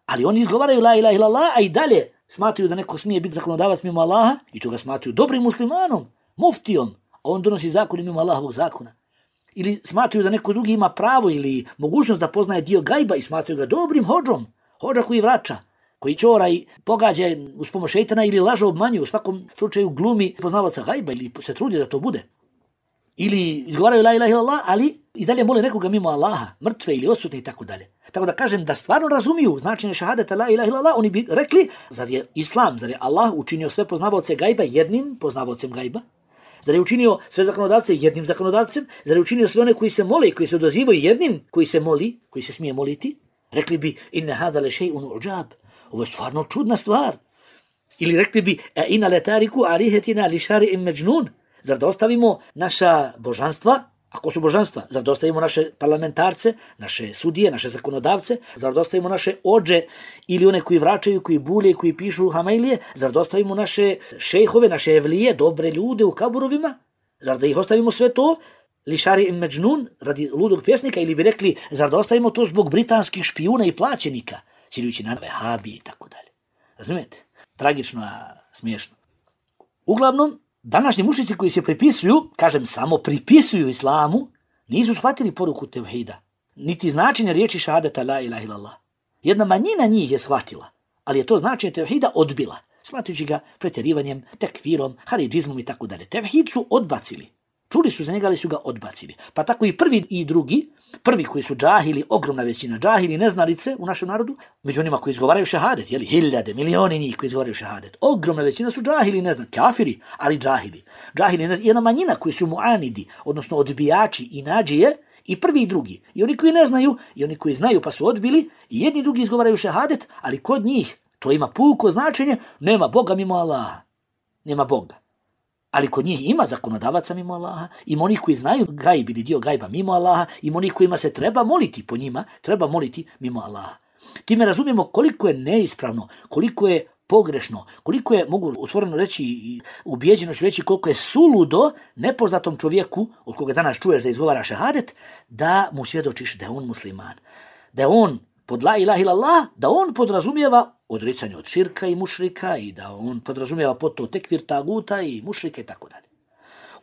Ali oni izgovaraju la ilaha illallah, a i dalje smatruju da neko smije biti zakonodavac mimo Allaha i to ga smatruju dobrim muslimanom, muftijom, a on donosi zakon mimo Allahovog zakona. Ili smatruju da neko drugi ima pravo ili mogućnost da poznaje dio gajba i smatruju ga dobrim hodžom, hodža koji vraća, koji čora i pogađa uz pomoć šejtana ili laže, obmanjuje, u svakom slučaju glumi poznavaca gajba ili se trudi da to bude. Ili izgovaraju la ilaha illallah, ali i dalje mole nekoga mimo Allaha, mrtve ili odsutne i tako dalje. Tako da kažem da stvarno razumiju značenje šahadeta la ilaha illallah, oni bi rekli, zar je Islam, zar je Allah učinio sve poznavaoce gajba jednim poznavaocem gajba? Zar je učinio sve zakonodavce jednim zakonodavcem? Zar je učinio sve one koji se mole i koji se odazivaju jednim koji se moli, koji se smije moliti? Rekli bi inna hada le shay'un uđab. Ovo je stvarno čudna stvar. Ili rekli bi inna letariku alihetina li šari'in međnun. Zar da ostavimo naša božanstva? Ako su božanstva, zar da ostavimo naše parlamentarce, naše sudije, naše zakonodavce? Zar da ostavimo naše ođe ili one koji vraćaju, koji bulje, koji pišu hamailije? Zar da ostavimo naše šejhove, naše evlije, dobre ljude u kaburovima? Zar da ih ostavimo sve to? Li šari'in međnun, radi ludog pjesnika, ili bi rekli, zar da ostavimo to zbog britanskih špijuna i plaćenika, ciljujući na vehabije i tako dalje. Razumijete? Tragično, a smiješno. Uglavnom, današnji mušnici koji se pripisuju, kažem samo pripisuju islamu, nisu shvatili poruku tevhida, niti značenje riječi šahadeta la ilaha illallah. Jedna manjina njih je shvatila, ali je to značenje tevhida odbila, smatrujući ga pretjerivanjem, tekfirom, haridžizmom i tako dalje. Tevhid su odbacili. Čuli su za njega, ali su ga odbacili. Pa tako i prvi i drugi, prvi koji su džahili, ogromna većina džahili, neznalice u našem narodu, među onima koji izgovaraju šehadet, jeli, hiljade, milioni njih koji izgovaraju šehadet. Ogromna većina su džahili, kafiri, ali džahili. Džahili, jedna manjina koji su muanidi, odnosno odbijači i nađije, i prvi i drugi. I oni koji ne znaju, i oni koji znaju pa su odbili, i jedni i drugi izgovaraju šehadet, ali kod njih to ima puko značenje, nema Boga mimo Allaha. Nema Boga. Ali kod njih ima zakonodavaca mimo Allaha, ima onih koji znaju gajb ili dio gajba mimo Allaha, ima onih kojima se treba moliti po njima, treba moliti mimo Allaha. Time razumijemo koliko je neispravno, koliko je pogrešno, koliko je, mogu otvoreno reći i ubijeđeno ću reći, koliko je suludo nepoznatom čovjeku, od koga danas čuješ da izgovara šehadet, da mu svjedočiš da je on musliman, da je on pod la ilaha illallah, da on podrazumijeva odricanje od širka i mušrika i da on podrazumijeva pod to tekfir taguta i mušrika i tako dalje.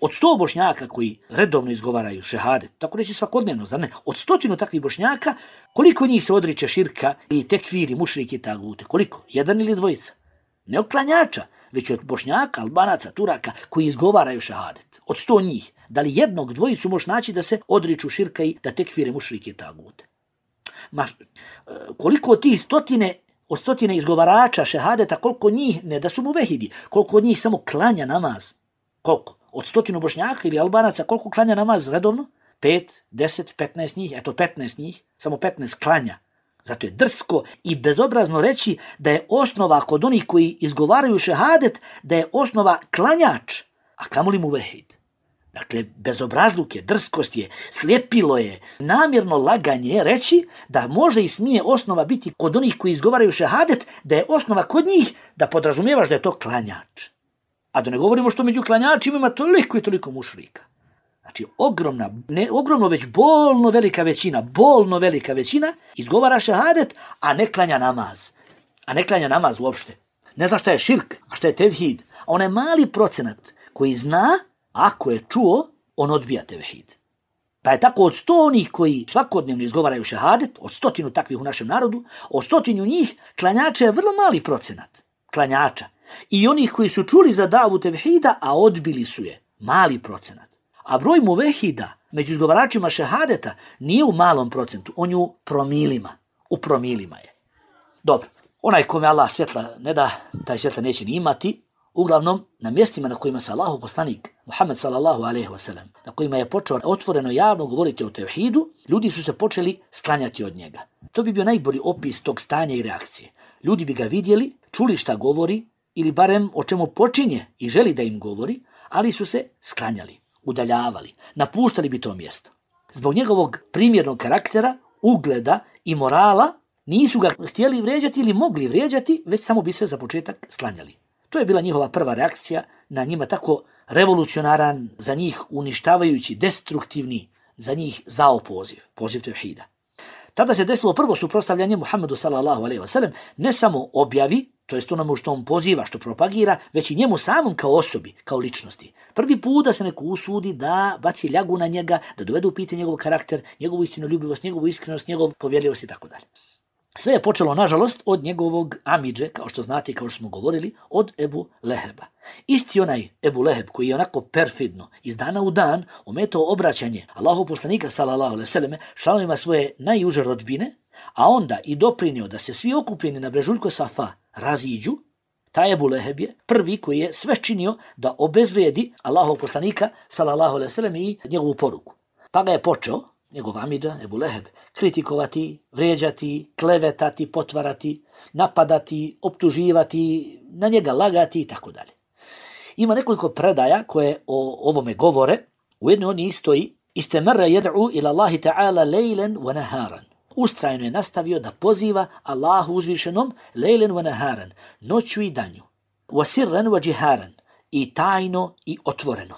Od 100 bošnjaka koji redovno izgovaraju šehadet, tako reći svakodnevno, zar ne? Od 100 takvih bošnjaka, koliko njih se odriče širka i tekfir i mušrike i tagute? Koliko? Jedan ili dvojica? Ne od klanjača, već od bošnjaka, albanaca, turaka koji izgovaraju šehadet. Od 100 njih, da li jednog, dvojicu možeš naći da se odriču širka i da tekfire mušrike i tagute? Koliko od tih stotine izgovarača šehadeta, koliko njih, ne da su mu vehidi, koliko od njih samo klanja namaz? Koliko? Od 100 bošnjaka ili albanaca, koliko klanja namaz redovno? 5, 10, 15 njih, eto 15 njih, samo 15 klanja. Zato je drsko i bezobrazno reći da je osnova kod onih koji izgovaraju šehadet, da je osnova klanjač, a kamoli mu vehid. Dakle, bezobrazluk je, drskost je, slijepilo je, namjerno laganje reći da može i smije osnova biti kod onih koji izgovaraju šehadet, da je osnova kod njih da podrazumijevaš da je to klanjač. A da ne govorimo što među klanjačima ima toliko i toliko mušrika. Znači, ogromno već bolno velika većina izgovara šehadet, a ne klanja namaz. A ne klanja namaz uopšte. Ne zna šta je širk, a šta je tevhid. A onaj mali procenat koji zna, ako je čuo, on odbija tevhid. Pa je tako od 100 onih koji svakodnevno izgovaraju šehadet, od 100 takvih u našem narodu, od 100 njih klanjača je vrlo mali procenat. Klanjača. I onih koji su čuli za davu tevhida, a odbili su je. Mali procenat. A broj muvehida među izgovaračima šehadeta nije u malom procentu, on je u promilima. U promilima je. Dobro, onaj kome Allah svjetla ne da, taj svjetla neće ni imati. Uglavnom, na mjestima na kojima se Allahov poslanik Muhammed sallallahu alejhi ve sellem, na kojima je počeo otvoreno javno govoriti o tevhidu, ljudi su se počeli sklanjati od njega. To bi bio najbolji opis tog stanja i reakcije. Ljudi bi ga vidjeli, čuli šta govori ili barem o čemu počinje i želi da im govori, ali su se sklanjali, udaljavali, napuštali bi to mjesto. Zbog njegovog primjernog karaktera, ugleda i morala, Nisu ga htjeli vrijeđati ili mogli vrijeđati, već samo bi se za početak sklanjali. To je bila njihova prva reakcija na njima tako revolucionaran, za njih uništavajući, destruktivni, za njih zao poziv tevhida. Tada se desilo prvo suprotstavljanje Muhammedu sallallahu alejhi ve sellem, ne samo objavi, to jest onome što on poziva, što propagira, već i njemu samom kao osobi, kao ličnosti. Prvi put da se neko usudi da baci ljagu na njega, da dovede u pitanje njegov karakter, njegovu istinoljubivost, njegovu iskrenost, njegov povjerljivost i tako dalje. Sve je počelo, nažalost, od njegovog amidže, kao što znate i kao što smo govorili, od Ebu Leheba. Isti onaj Ebu Leheb koji je onako perfidno iz dana u dan ometao obraćanje Allahov poslanika sallallahu alejhi ve selleme članovima svoje najuže rodbine, a onda i doprinio da se svi okupljeni na brežuljku Safa raziđu, taj Ebu Leheb je prvi koji je sve činio da obezvrijedi Allahov poslanika sallallahu alejhi ve selleme i njegovu poruku. Pa ga je počeo njegov amidža, Ebu Leheb, kritikovati, vrijeđati, klevetati, potvarati, napadati, optuživati, na njega lagati i tako dalje. Ima nekoliko predaja koje o ovome govore. U jednoj od njih stoji: Istemarra yad'u ila Allahi ta'ala lejlen wa naharan. Ustrajno je nastavio da poziva Allahu uzvišenom lejlen wa naharan, noću i danju. Wa sirran wa jiharan, i tajno i otvoreno.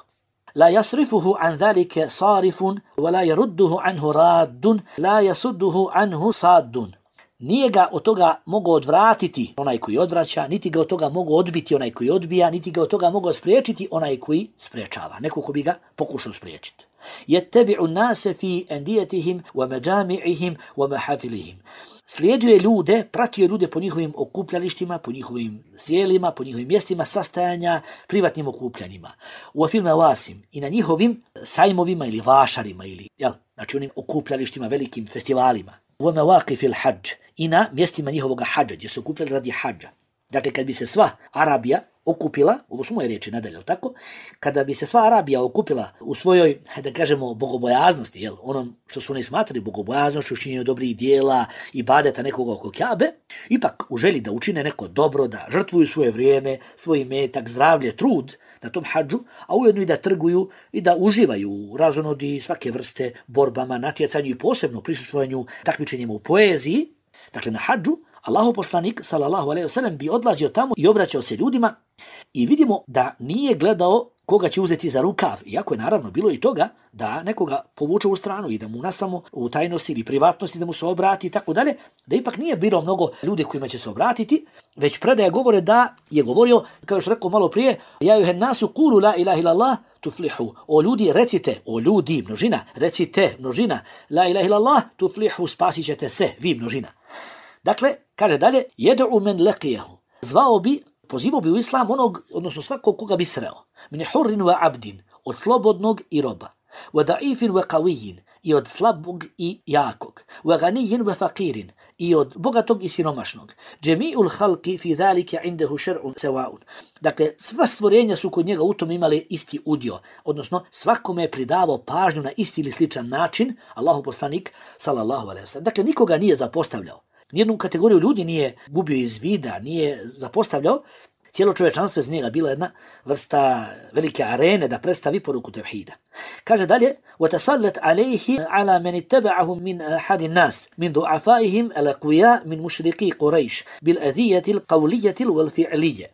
La yasrifuhu an zalike sarifun, wa la yarudduhu anhu raddun, la yasudduhu anhu saddun. Nije ga od toga mogao odvratiti onaj koji odvraća, niti ga od toga mogao odbiti onaj koji odbija, niti ga od toga mogao spriječiti onaj koji spriječava. Neko ko bi ga pokušao spriječiti. Yattabi'u nase fi andiyatihim wa majami'ihim wa mahafilihim. Slijedio je ljude, pratio je ljude po njihovim okupljalištima, po njihovim sjelima, po njihovim mjestima sastajanja, privatnim okupljanjima. U fil mawasim, i na njihovim sajmovima ili vašarima, ili, znači onim okupljalištima, velikim festivalima. U mawaqifil hadž, i na mjestima njihovog hadža, gdje se okupljali radi hadža. Dakle, kad bi se sva Arabija okupila, ovo su moje riječi nadalje, tako? Kada bi se sva Arabija okupila u svojoj, da kažemo, bogobojaznosti, onom što su oni smatrali bogobojaznošću, činjenju dobrih dijela, ibadeta nekoga oko Kjabe, ipak u želji da učine neko dobro, da žrtvuju svoje vrijeme, svoj imetak, zdravlje, trud na tom hadžu, a ujedno i da trguju i da uživaju u razonodi svake vrste borbama, natjecanju i posebno prisustvovanju takmičenjima u poeziji. Dakle, na hadžu Allahov poslanik sallallahu alejhi ve sellem bi odlazio tamo i obraćao se ljudima i vidimo da nije gledao koga će uzeti za rukav, iako je naravno bilo i toga da nekoga povuče u stranu i da mu nasamo u tajnosti ili privatnosti da mu se obrati i tako dalje, da ipak nije bilo mnogo ljudi kojima će se obratiti, već predaje govore da je govorio, kao što rekao malo prije, ja juhen nasu kulu la ilaha illallah tuflihu. O ljudi recite, o ljudi množina, recite množina, la ilaha illallah tuflihu, spasit ćete se, vi množina. Dakle, kaže dalje, jed'u men leqijahu. Zvao bi, pozivao bi u islam onog, odnosno svakog koga bi sreo. Min hurrin wa abdin, od slobodnog i roba. Wa da'ifin wa qawiyyin, i od slabog i jakog. Wa ganiyyin wa faqirin, i od bogatog i siromašnog. Jami'ul khalqi fi zalika indahu shar'un sawa'un. Dakle, sva stvorenja su kod njega u tom imali isti udio, odnosno svakome je pridavao pažnju na isti ili sličan način, Allahov poslanik sallallahu alejhi ve sellem. Dakle, nikoga nije zapostavljao. Nijednu kategoriju ljudi nije gubio iz vida, nije zapostavljao. Cijelo čovječanstvo iz njega bila jedna vrsta velike arene da predstavi poruku tevhida. Kaže dalje: وَتَسَلَّتْ عَلَيْهِ عَلَى مَنِ اتَّبَعَهُمْ مِنْ أَحَدِ النَّاسِ مِنْ ضُعَفَائِهِمْ الْأَقْوِيَاءِ مِنْ مُشْرِكِي قُرَيْشِ بِالْأَذِيَّةِ الْقَوْلِيَّةِ وَالْفِعْلِيَّةِ.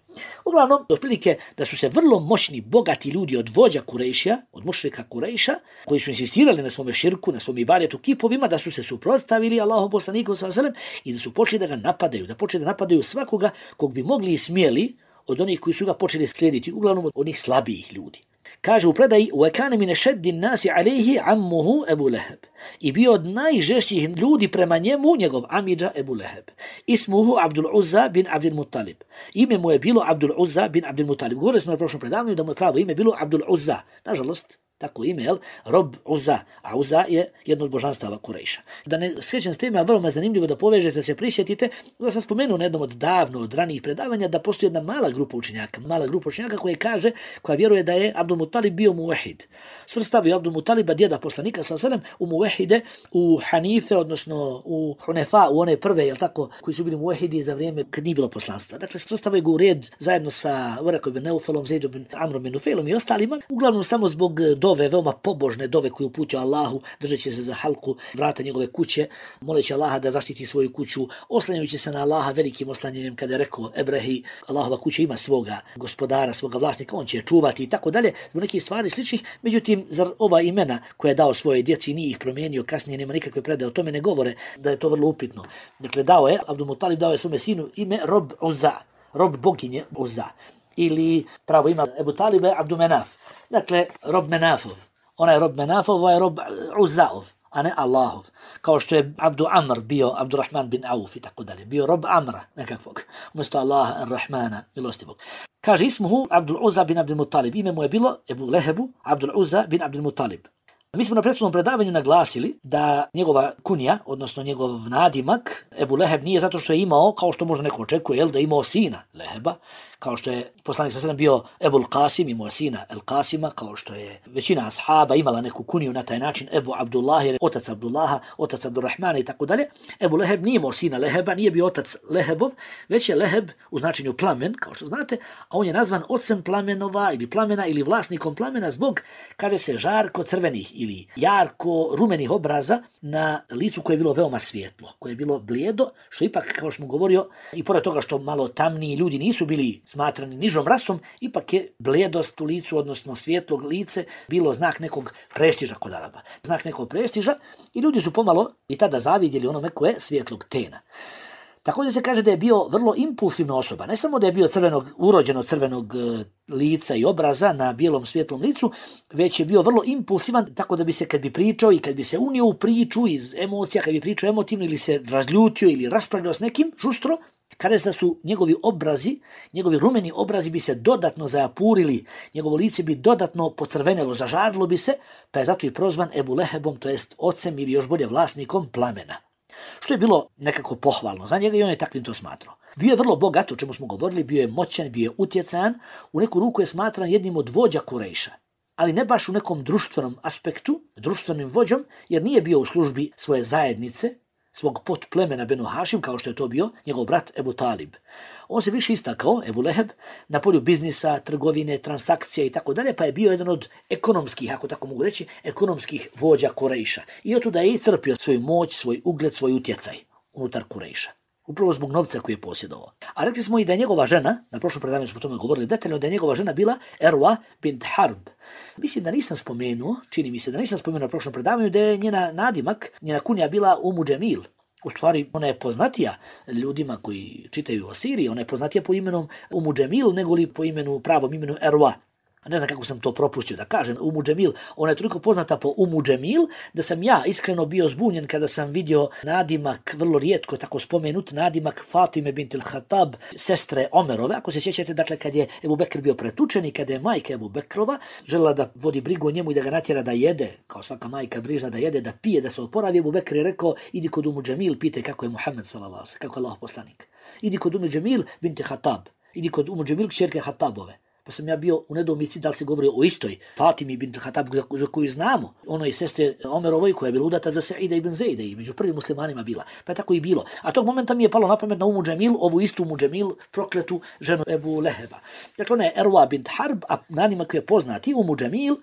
Uglavnom, otprilike da su se vrlo moćni, bogati ljudi od vođa Kurejšija, od mušrika Kurejša, koji su insistirali na svome širku, na svom ibadetu kipovima, da su se suprotstavili Allahom poslaniku sallallahu alejhi ve sellem i da su počeli da ga napadaju, da počeli da napadaju svakoga kog bi mogli i smjeli od onih koji su ga počeli slijediti, uglavnom od onih slabijih ljudi. Kaže u predaji: وَكَانَ مِنَ شَدِّ النَّاسِ عَلَيْهِ عَمُّهُ Ebu Leheb. I bio od najžešćih ljudi prema njemu njegov amidža Ebu Leheb. Ismuhu Abdul Uzza bin Abdul Muttalib. Ime mu je bilo Abdul Uzza bin Abdul Muttalib. Govorili smo na prošlom predavanju da mu je pravo ime bilo Abdul Uzza. Nažalost, tako ime, Rob Uzza, a Uzza je jedno od božanstava Kurejša. Da ne skrećem s tema, vrlo me zanimljivo da povežete, se prisjetite, da sam spomenuo na jednom od ranijih predavanja da postoji jedna mala grupa učenjaka koja kaže, koja vjeruje da je Abdul Muttalib bio muvehid. Svrstavio Abdul Muttaliba, djeda poslanika sallallahu alejhi ve sellem, u muvehide, u Hanife, odnosno u Hunefa, u one prve, tako, koji su bili muvehidi za vrijeme kad nije bilo poslanstva. Dakle, svrstavio ga u red zajedno sa Varaka bin Neufelom, Zaid bin Amrom bin Nufailom i ostalima, uglavnom samo zbog dove, veoma pobožne dove koje uputio Allahu, držeći se za halku vrata njegove kuće, moleći Allaha da zaštiti svoju kuću, oslanjajući se na Allaha velikim oslanjanjem kada je rekao Ebrehi, Allahova kuća ima svoga gospodara, svoga vlasnika, on će je čuvati i tako dalje, zbog nekih stvari sličnih. Međutim, zar ova imena koje je dao svoje djeci nije ih promijenio, kasnije nema nikakve predaje o tome, ne govore da je to vrlo upitno. Dakle, Abdul Mutalib dao je svome sinu ime Rob Uzza, Rob boginje Uzza. Ili pravo ima Ebu Talibe Abdu Menaf. Dakle, Rob Menafov. Ona je Rob Menafov, ovaj je Rob Uzzaov, a ne Allahov. Kao što je Abdu Amr bio Abdurrahman bin Auf i tako dalje. Bio Rob Amra nekakvog. Umjesto Allaha Ar-Rahmana, milostivog. Kaže ismuhu Abdul Uzza bin Abdul Mutalib. Ime mu je bilo Ebu Lehebu Abdul Uzza bin Abdul Mutalib. Mi smo na prethodnom predavanju naglasili da njegova kunja, odnosno njegov nadimak, Ebu Leheb, nije zato što je imao, kao što možda neko očekuje, da je imao sina Leheba, kao što je poslanik sallallahu bio Ebul Qasim, imao sina El Qasima, kao što je većina ashaba imala neku kuniju na taj način, Ebu Abdullah, otac Abdullaha, otac Abdurrahmana i tako dalje. Ebu Leheb nije imao sina Leheba, nije bio otac Lehebov, već je Leheb u značenju plamen, kao što znate, a on je nazvan ocem plamenova ili plamena ili vlasnikom plamena zbog, kaže se, žarko crvenih ili jarko rumenih obraza na licu koje je bilo veoma svijetlo, koje je bilo blijedo, što ipak, kao što smo govorio, i pored toga što malo tamniji ljudi nisu bili smatrani nižom rasom, ipak je blijedost u licu, odnosno svjetlog lice, bilo znak nekog prestiža kod Araba. Znak nekog prestiža i ljudi su pomalo i tada zavidjeli onome koje je svjetlog tena. Također se kaže da je bio vrlo impulsivna osoba. Ne samo da je bio urođeno crvenog lica i obraza na bijelom svjetlom licu, već je bio vrlo impulsivan, tako da bi se kad bi pričao i kad bi se unio u priču iz emocija, kad bi pričao emotivno ili se razljutio ili raspravljao s nekim žustro, kada da su njegovi obrazi, njegovi rumeni obrazi bi se dodatno zajapurili, njegovo lice bi dodatno pocrvenelo, zažarilo bi se, pa je zato i prozvan Ebu Lehebom, to jest ocem ili još bolje vlasnikom plamena. Što je bilo nekako pohvalno za njega i on je takvim to smatrao. Bio je vrlo bogat, o čemu smo govorili, bio je moćan, bio je utjecajan, u neku ruku je smatran jednim od vođa Kurejša, ali ne baš u nekom društvenom aspektu, društvenim vođom, jer nije bio u službi svoje zajednice, svog potplemena Benu Hašim, kao što je to bio njegov brat Ebu Talib. On se više istakao, Ebu Leheb, na polju biznisa, trgovine, transakcija i tako dalje, pa je bio jedan od ekonomskih, ako tako mogu reći, ekonomskih vođa Kurejša. I otuda je i crpio svoju moć, svoj ugled, svoj utjecaj unutar Kurejša. Upravo zbog novca koji je posjedovao. A rekli smo i da je njegova žena, na prošlom predavanju smo o tome govorili detaljno, da je njegova žena bila Erwa bint Harb. Mislim da nisam spomenuo, čini mi se da nisam spomenuo na prošlom predavanju, da je njena nadimak, njena kunja bila Umu Džemil. U stvari, ona je poznatija ljudima koji čitaju o Siriji, ona je poznatija po imenom Umu Džemil, nego li po pravom imenu Erwa. Ne znam kako sam to propustio da kažem, Umu Džemil, ona je toliko poznata po Umu Džemil, da sam ja iskreno bio zbunjen kada sam vidio nadimak, vrlo rijetko tako spomenut, nadimak Fatime bint al-Khattab, sestre Omerove. Ako se sjećate, dakle, kad je Ebu Bekr bio pretučen i kada je majka Ebu Bekrova željela da vodi brigu o njemu i da ga natjera da jede, kao svaka majka brižna da jede, da pije, da se oporavi, Ebu Bekr je rekao, idi kod Umu Džemil, pitaj kako je Muhammed sallallahu, kako je Allah poslanik. Idi kod Umu Džemil bint Khattab, idi kod Umu Džemil kćerke Khattabove. Pa sam ja bio u nedoumici da li se govori o istoj Fatimi bint Khattab za koju znamo, onoj sestre Omerovoj koja je bila udata za Saida ibn Zejda i među prvim muslimanima bila. Pa je tako i bilo. A tog momenta mi je palo na pamet na Umu Džemil, ovu istu Umu Džemil, prokletu ženu Ebu Leheba. Dakle, ona je Erwa bint Harb, a nadimak je poznati Umu Džemil,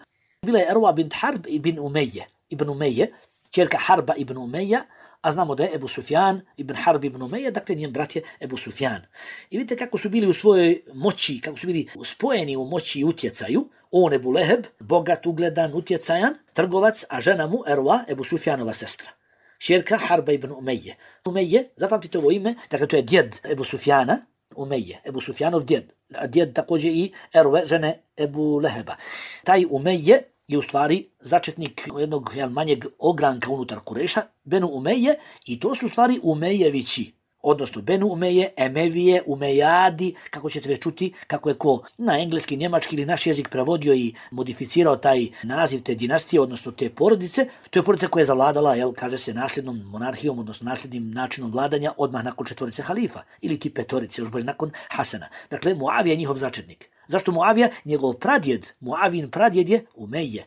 bila je Erwa bint Harb ibn Umeje, čerka Harba ibn Umeja, a znamo da je Ebu Sufjan ibn Harb ibn Umeja, dakle njen brat je Ebu Sufjan. I vidite kako su bili u svojoj moći, kako su bili spojeni u moći i utjecaju. On Ebu Leheb, bogat, ugledan, utjecajan, trgovac, a žena mu Erwa, Ebu Sufjanova sestra. Čerka Harba ibn Umeje. Umeje, zapamtite ovo ime, dakle to je djed Ebu Sufjana, Umeje, Ebu Sufjanov djed. A djed također i Erwe, žene Ebu Leheba. Taj Umeje je u stvari začetnik jednog manjeg ogranka unutar Kurejša, Benu Umeje, i to su u stvari Umejevići, odnosno Benu Umeje, Emevije, Umejadi, kako ćete već čuti, kako je ko na engleski, njemački ili naš jezik prevodio i modificirao taj naziv te dinastije, odnosno te porodice. To je porodica koja je zavladala, kaže se, nasljednom monarhijom, odnosno nasljednim načinom vladanja odmah nakon 4 halifa, ili ti 5, još bolje nakon Hasana. Dakle, Muavija je njihov začetnik. Zašto Muavija? Njegov pradjed, Muavin pradjed je Umeje.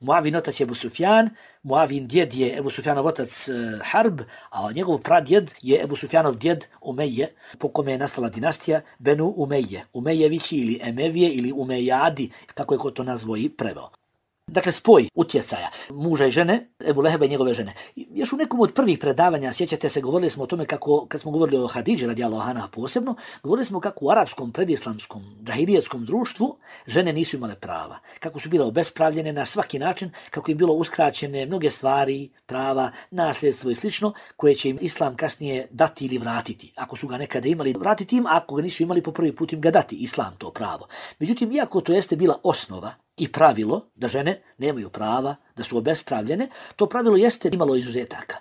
Muavin otac je Ebu Sufjan, Muavin djed je Ebu Sufjanov otac Harb, a njegov pradjed je Ebu Sufjanov djed Umeje, po kome je nastala dinastija Benu Umeje, Umejevići ili Emevije ili Umejadi, kako je ko to nazvao i preveo. Dakle, spoj utjecaja muža i žene, Ebu Leheba i njegove žene. Još u nekom od prvih predavanja, sjećate se, govorili smo o tome kako, kad smo govorili o Hadidži radijallahu anha posebno, govorili smo kako u arapskom, predislamskom, džahilijetskom društvu žene nisu imale prava. Kako su bile obespravljene na svaki način, kako im bilo uskraćene mnoge stvari, prava, nasljedstvo i slično, koje će im islam kasnije dati ili vratiti. Ako su ga nekada imali, vratiti im, ako ga nisu imali, po prvi put im ga dati, islam to pravo. Međutim, iako to jeste bila osnova i pravilo da žene nemaju prava, da su obespravljene, to pravilo jeste imalo izuzetaka.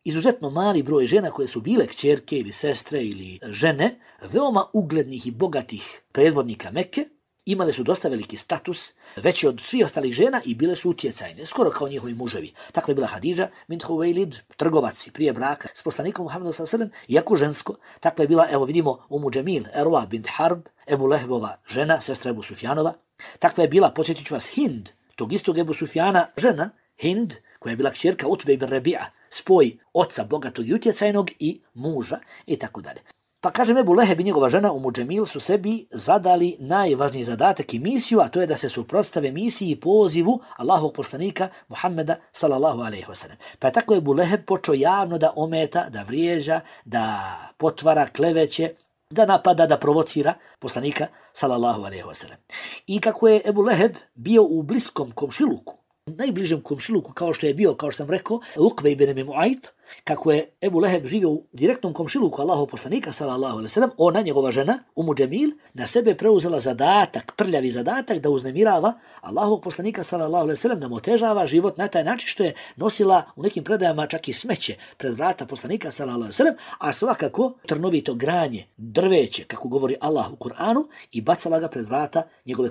Izuzetno mali broj žena koje su bile kćerke ili sestre ili žene, veoma uglednih i bogatih predvodnika Mekke, imale su dosta veliki status, veći od svih ostalih žena i bile su utjecajne, skoro kao njihovi muževi. Tako je bila Hadidža bint Huveilid, trgovac prije braka s poslanikom Muhammedom sallallahu alejhi ve sellem, iako žensko. Tako je bila, evo vidimo, Umu Džemil, Erwa bint Harb, Ebu Lehebova žena, sestra Ebu Sufjanova. Takva je bila, podsjetit ću vas, Hind, tog istog Ebu Sufjana žena, Hind, koja je bila kćerka Utbe ibn Rabi'a, spoj oca bogatog i utjecajnog i muža i tako dalje. Pa kažem, Ebu Leheb i njegova žena Umu Džemil su sebi zadali najvažniji zadatak i misiju, a to je da se suprotstave misiji i pozivu Allahovog poslanika Muhammeda sallallahu alejhi ve sellem. Pa je tako Ebu Leheb počeo javno da ometa, da vrijeđa, da potvara, kleveće, da napada, da provocira poslanika sallallahu alejhi ve sellem. I kako je Ebu Leheb bio u bliskom komšiluku, najbližem komšiluku, kao što je bio, kao što sam rekao, Ukbe ibn Mu'ayt, kako je Ebu Leheb živio u direktnom komšiluku Allahov poslanika sallallahu alejhi ve sellem, ona, njegova žena Umu Džemil, na sebe preuzela zadatak, prljavi zadatak da uznemirava Allahov poslanika sallallahu alejhi ve sellem, da mu otežava život na taj način što je nosila u nekim predajama čak i smeće pred vrata poslanika sallallahu alejhi ve sellem, a svakako trnovito granje, drveće, kako govori Allah u Kur'anu, i bacala ga pred vrata njegove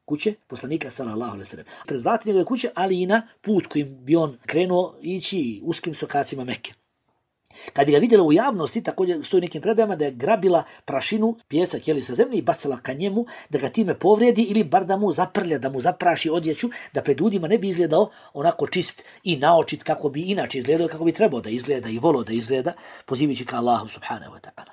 kuće poslanika sallallahu alejhi ve sellem. Pred vrata njegove kuće, ali i na put kojim bi on krenuo ići uskim sokacima Mekke. Kad bi ga vidjela u javnosti, također stoji nekim predajama da je grabila prašinu, pijesak sa zemlje i bacala ka njemu, da ga time povredi ili bar da mu zaprlja, da mu zapraši odjeću, da pred ljudima ne bi izgledao onako čist i naočit kako bi inače izgledao, kako bi trebao da izgleda i volio da izgleda, pozivajući ka Allahu subhanahu wa ta'ala.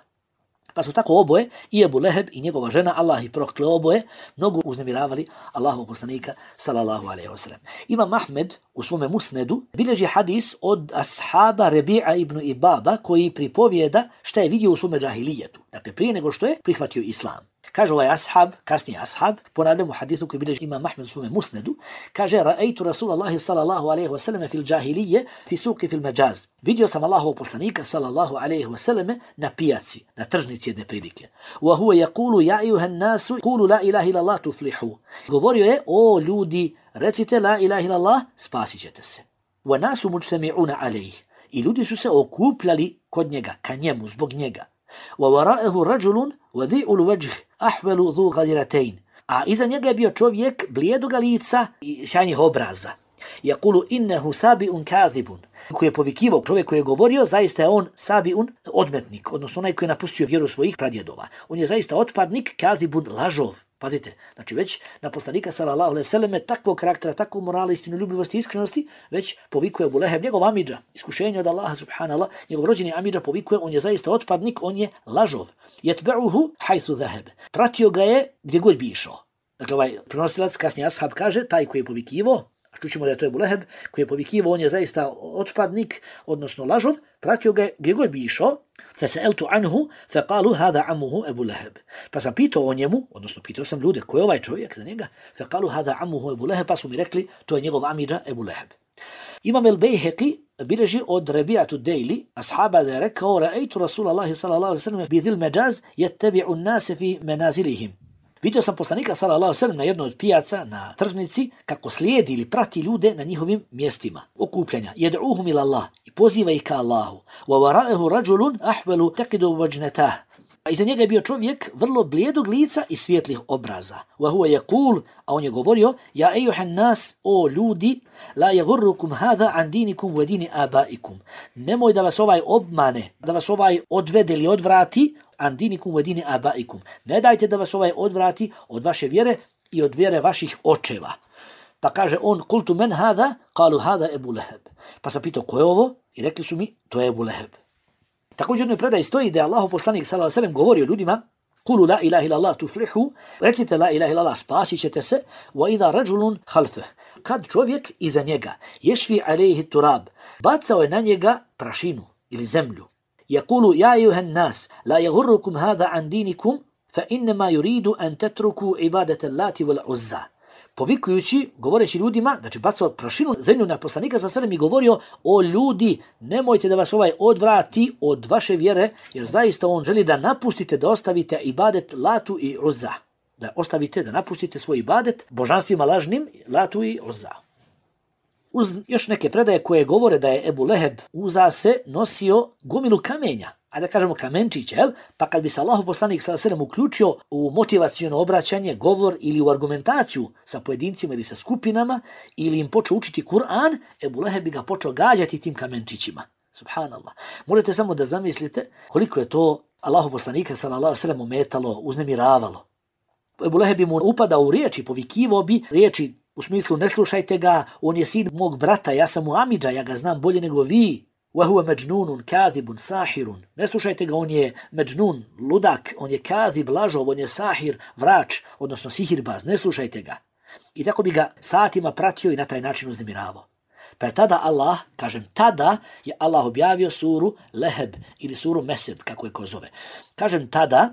Pa su tako oboje, i Ebu Leheb i njegova žena, Allah ih prokleo oboje, mnogo uznemiravali Allahov poslanika sallallahu alejhi ve sellem. Imam Ahmed u svome musnedu bilježi hadis od ashaba Rebi'a ibn Ibada, koji pripovijeda šta je vidio u svome džahilijetu. Dakle, prije nego što je prihvatio islam. Kaže ovaj ashab, kasnije ashab, ponavljamo hadisu koji bilježi Imam Ahmed u svome musnedu, kaže, ra'aytu Rasulallahi sallallahu alejhi ve sellem fil džahilije fi suqi fil majaz. Vidio sam Allahov poslanika sallallahu alejhi ve sellem na pijaci, na tržnici jedne prilike. Wa huwa yaqulu ya ayyuhan nasu qulu la ilaha illa Allah tuflihu. Govorio je, o ljudi, recite la ilaha illa Allah, spasićete se. Wa nasu mujtami'una alayhi. I ljudi su se okupljali kod njega, ka njemu, zbog njega. Wa wara'ahu rajulun wadi'ul wajh ahwalu dhu ghadiratain. A iza njega je bio čovjek blijedog lica i sjajnih obraza. Yaqulu innahu sabi'un kadhibun. Koji je povikivao, čovjek koji je govorio, zaista je on sabi'un, odmetnik, odnosno onaj koji je napustio vjeru svojih pradjedova. On je zaista otpadnik, kadhibun, lažov. Pazite, znači već na poslanika sallallahu alejhi ve selleme takvog karaktera, takvog morala, istinoljubivosti i iskrenosti, već povikuje Ebu Leheb, njegov amidža, iskušenje od Allaha subhanallah, njegov rođeni amidža povikuje, on je zaista otpadnik, on je lažov. Yatba'uhu haythu dhahab. Pratio ga je gdje god bi išao. Dakle, ovaj prenosilac, kasnije ashab kaže, taj koji je povikivo, čućemo da je to Ebu Leheb, koji je povikivo, on je zaista otpadnik, odnosno lažov, pratio ga je gdje god bi išao. فسألت عنه فقالوا هذا عمه أبو لهب. Pa sam pitao o njemu, odnosno pitao sam ljude ko je ovaj čovjek za njega. فقالوا هذا عمه أبو لهب, pa su mi rekli to je njegov amidža Ebu Leheb. Imam el-Bejheqi bilježi od Rabi'atu Dejli, ashaba da je rekao, ra'aytu Rasulallahi sallallahu alejhi ve sellem bi dhil majaz yattabi'u an-nas fi manazilihim. Vidio sam poslanika sallallahu alejhi ve sellem na jednoj od pijaca, na tržnici, kako slijedi ili prati ljude na njihovim mjestima okupljanja. Yad'uhum ila Allah, i poziva ih ka Allahu. Wa wara'ahu rajulun ahwalu taqidu wajnatah. Iza njega je bio čovjek vrlo blijedog lica i svjetlih obraza. Wa huwa yaqul, a on je govorio, ja ejuhan nas, o ljudi, la yaghurrukum hadha an dinikum wa dini abaikum. Nemoj da vas ovaj obmane, da vas ovaj odvede ili odvrati an dinikum wa dini abaikum. Ne dajte da vas ovaj odvrati od vaše vjere i od vjere vaših očeva. Pa kaže on, kultu men hadha, qalu hadha Ebu Leheb. Pa sam pitao, ko je ovo? I rekli su mi, to je Ebu Leheb. Također jednoj predaji stoji da je Allahov poslanik sallallahu alejhi ve sellem govorio ljudima Kulu la ilaha illallah tuflihu, recite la ilaha illallah, spasit ćete se, wa idha rajulun khalfah, kad čovjek iza njega, ješfi alejhi turab, bacao je na njega prašinu ili zemlju. Yaqulu ja ayuhan nas, la yaghurrukum hadha an dinikum, fa innama yuridu an tatruku ibadata Allati wal Uzza. Povikujući, govoreći ljudima, znači bacao prašinu zemlju na poslanika sa sredem i govorio, o ljudi, nemojte da vas odvrati od vaše vjere, jer zaista on želi da napustite, da ostavite ibadet Latu i Uzza. Da ostavite, da napustite svoj ibadet božanstvima lažnim, Latu i Uzza. Uz još neke predaje koje govore da je Ebu Leheb uza se nosio gomilu kamenja, a da kažemo kamenčiće, pa kad bi se Allahu poslanik s.a.v. uključio u motivacijono obraćanje, govor ili u argumentaciju sa pojedincima ili sa skupinama, ili im počeo učiti Kur'an, Ebu Leheb bi ga počeo gađati tim kamenčićima. Subhanallah. Možete samo da zamislite koliko je to Allahu poslanika s.a.v. ometalo, uznemiravalo. Ebu Leheb bi mu upadao u riječi, povikivao bi riječi u smislu ne slušajte ga, on je sin mog brata, ja sam mu amidža, ja ga znam bolje nego vi. وَهُوَ مَجْنُونٌ كَاذِبٌ سَاحِرٌ. Ne slušajte ga, on je međnun, ludak, on je kazib, lažov, on je sahir, vrač, odnosno sihirbaz, ne slušajte ga. I tako bi ga satima pratio i na taj način uznemiravao. Pa je tada Allah, kažem tada, je Allah objavio suru Leheb ili suru Mesed, kako je ko zove. Kažem tada,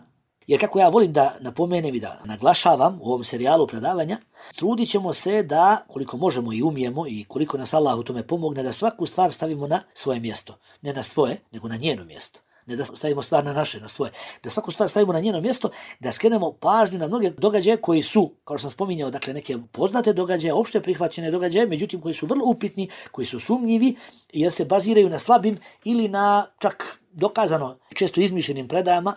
jer kako ja volim da napomenem i da naglašavam u ovom serijalu predavanja, trudit ćemo se da, koliko možemo i umijemo i koliko nas Allah u tome pomogne, da svaku stvar stavimo na svoje mjesto. Ne na svoje, nego na njeno mjesto. Ne da stavimo stvar na naše, na svoje. Da svaku stvar stavimo na njeno mjesto, da skrenemo pažnju na mnoge događaje koji su, kao što sam spominjao, dakle neke poznate događaje, opšte prihvaćene događaje, međutim koji su vrlo upitni, koji su sumnjivi, jer se baziraju na slabim ili na čak dokazano često izmišljenim predajama.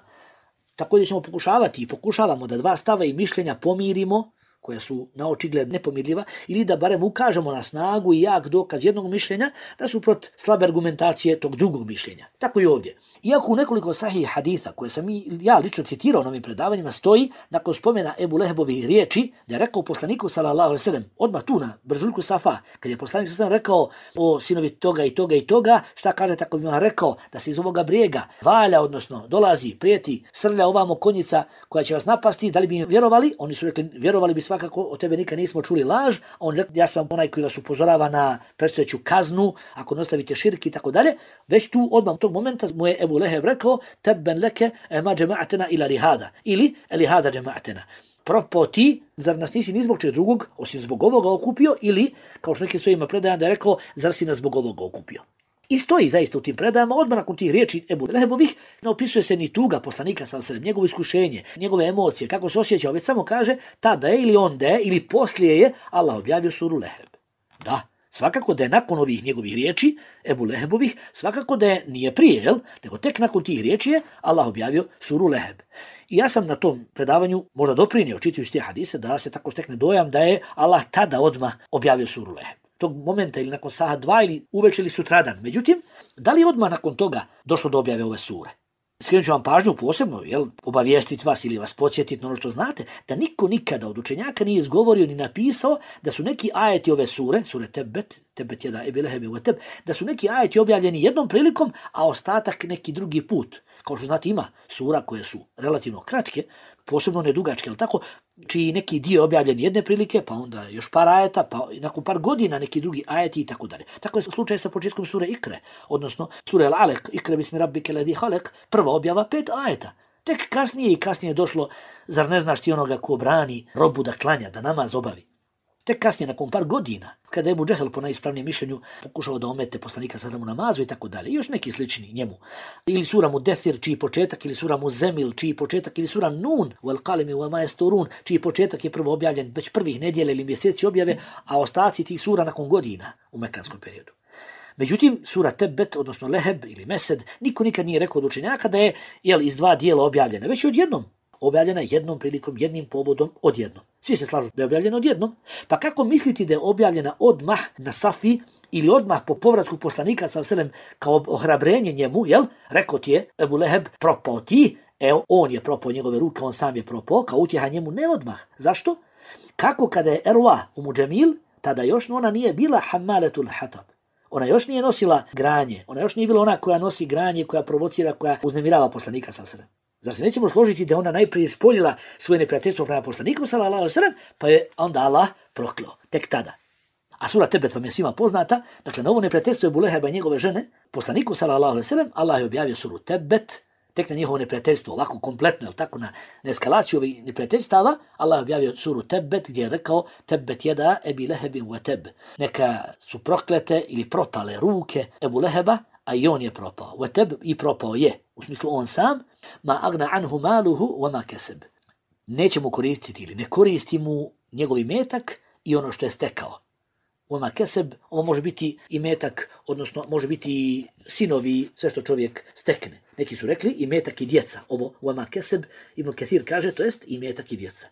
Također ćemo pokušavati i pokušavamo da dva stava i mišljenja pomirimo, koja su na očigled nepomirljiva, ili da barem ukažemo na snagu i jak dokaz jednog mišljenja nasuprot slabe argumentacije tog drugog mišljenja. Tako i ovdje. Iako u nekoliko sahih haditha koje sam ja lično citirao na ovim predavanjima stoji, nakon spomena Ebu Lehebovih riječi, da je rekao poslaniku s.a.v. odmah tu na bržuljku Safa, kad je poslanik s.a.v. rekao o sinovi toga i toga i toga, šta kaže, tako bi vam rekao da se iz ovoga brijega valja, odnosno dolazi, prijeti, srlja ovamo konjica koja će vas napasti, da li bi im vjerovali? Oni su rekli, vjerovali bi svakako, od tebe nikad nismo čuli laž, a on rekao, ja sam onaj koji vas upozorava na predstojeću kaznu, ako ne ostavite širk i tako dalje. Već tu odmah u tog momenta mu je Ebu Leheb rekao, tebben leke ema džema'atena ila lihada, ili lihada džema'atena. Propao ti, zar nas nisi ni zbog čeg drugog, osim zbog ovoga okupio, ili, kao što neki svojima predajama da je rekao, zar si nas zbog ovoga okupio. I stoji zaista u tim predajama, odmah nakon tih riječi Ebu Lehebovih, ne opisuje se ni tuga poslanika s.a.v., njegovo iskušenje, njegove emocije, kako se osjećao, već samo kaže tada je ili onda je ili poslije je Allah objavio suru Leheb. Da, svakako da je nakon ovih njegovih riječi, Ebu Lehebovih, svakako da je nije prije, nego tek nakon tih riječi je Allah objavio suru Leheb. I ja sam na tom predavanju možda doprinio, čitajući te hadise, da se tako stekne dojam da je Allah tada odmah objavio suru Leheb. Tog momenta ili nakon saha 2 ili uveče ili sutradan. Međutim, da li odmah nakon toga došlo do objave ove sure? Skrenut ću vam pažnju posebno, obavijestiti vas ili vas podsjetiti na ono što znate, da niko nikada od učenjaka nije izgovorio ni napisao da su neki ajeti ove sure Tebet jeda Ebi Leheb ve teb, da su neki ajeti objavljeni jednom prilikom, a ostatak neki drugi put. Kao što znate, ima sura koje su relativno kratke, posebno nedugačke, ali tako, čiji neki dio objavljen jedne prilike, pa onda još par ajeta, pa nakon par godina neki drugi ajeti i tako dalje. Tako je slučaj sa početkom sure Ikre, odnosno sure Al-Alek, Ikre bismi rabbike ladhi halek, prva objava 5 ajeta. Tek kasnije je došlo, zar ne znaš ti onoga ko brani robu da klanja, da namaz obavi. Tek kasnije, nakon par godina, kada je Ebu Džehel po najispravnijem mišljenju pokušao da omete poslanika sallallahu alejhi ve sellem u namazu i tako dalje, još neki slični njemu. Ili sura Mudethir, čiji početak, ili sura Muzemil, čiji početak, ili sura Nun, wal qalami wa ma yasturun, čiji početak je prvo objavljen već prvih nedjelja ili mjeseci objave, a ostaci tih sura nakon godina u mekanskom periodu. Međutim, sura Tebet, odnosno Leheb ili Mesed, niko nikad nije rekao od učenjaka da je iz dva dijela objavljena, već odjednom. Objavljena jednom prilikom, jednim povodom, odjednom. Svi se slažu da je objavljena odjednom. Pa kako misliti da je objavljena odmah na Safi ili odmah po povratku poslanika sallallahu alejhi ve sellem kao ohrabrenje njemu, rekao ti je Ebu Leheb, propao ti, on je propao njegove ruke, on sam je propao, kao utjeha njemu, ne odmah. Zašto? Kako kada je Erwa u Muđemil, tada još ona nije bila hammaletul hatab. Ona još nije nosila granje, ona još nije bila ona koja nosi granje, koja provocira, koja uznemirava poslanika sallallahu alejhi ve sellem. Zar se nećemo složiti da ona najprije ispoljila svoje neprijateljstvo prema poslaniku sallallahu alejhi ve sellem, pa je onda Allah prokleo tek tada. A sura Tebet vam je svima poznata, dakle na ovo neprijateljstvo Ebu Leheba i njegove žene, poslaniku sallallahu alejhi ve sellem, Allah je objavio suru Tebet, tek na njihovo neprijateljstvo, ovako kompletno, jel tako, na eskalaciju ovih neprijateljstava, Allah je objavio suru Tebet gdje je rekao Tebet jeda Ebi Lehebin wa teb. Neka su proklete ili propale ruke Ebu Leheba, a i on je propao. Wa teb i propao je, u smislu on sam, ma agna anhu maluhu wa ma keseb. Neće mu koristiti ili ne koristi mu njegov imetak i ono što je stekao. Oma keseb, ovo može biti imetak, odnosno može biti i sinovi, sve što čovjek stekne. Neki su rekli imetak i djeca. Ovo oma keseb, Ibn Kathir kaže, to jest imetak i djeca.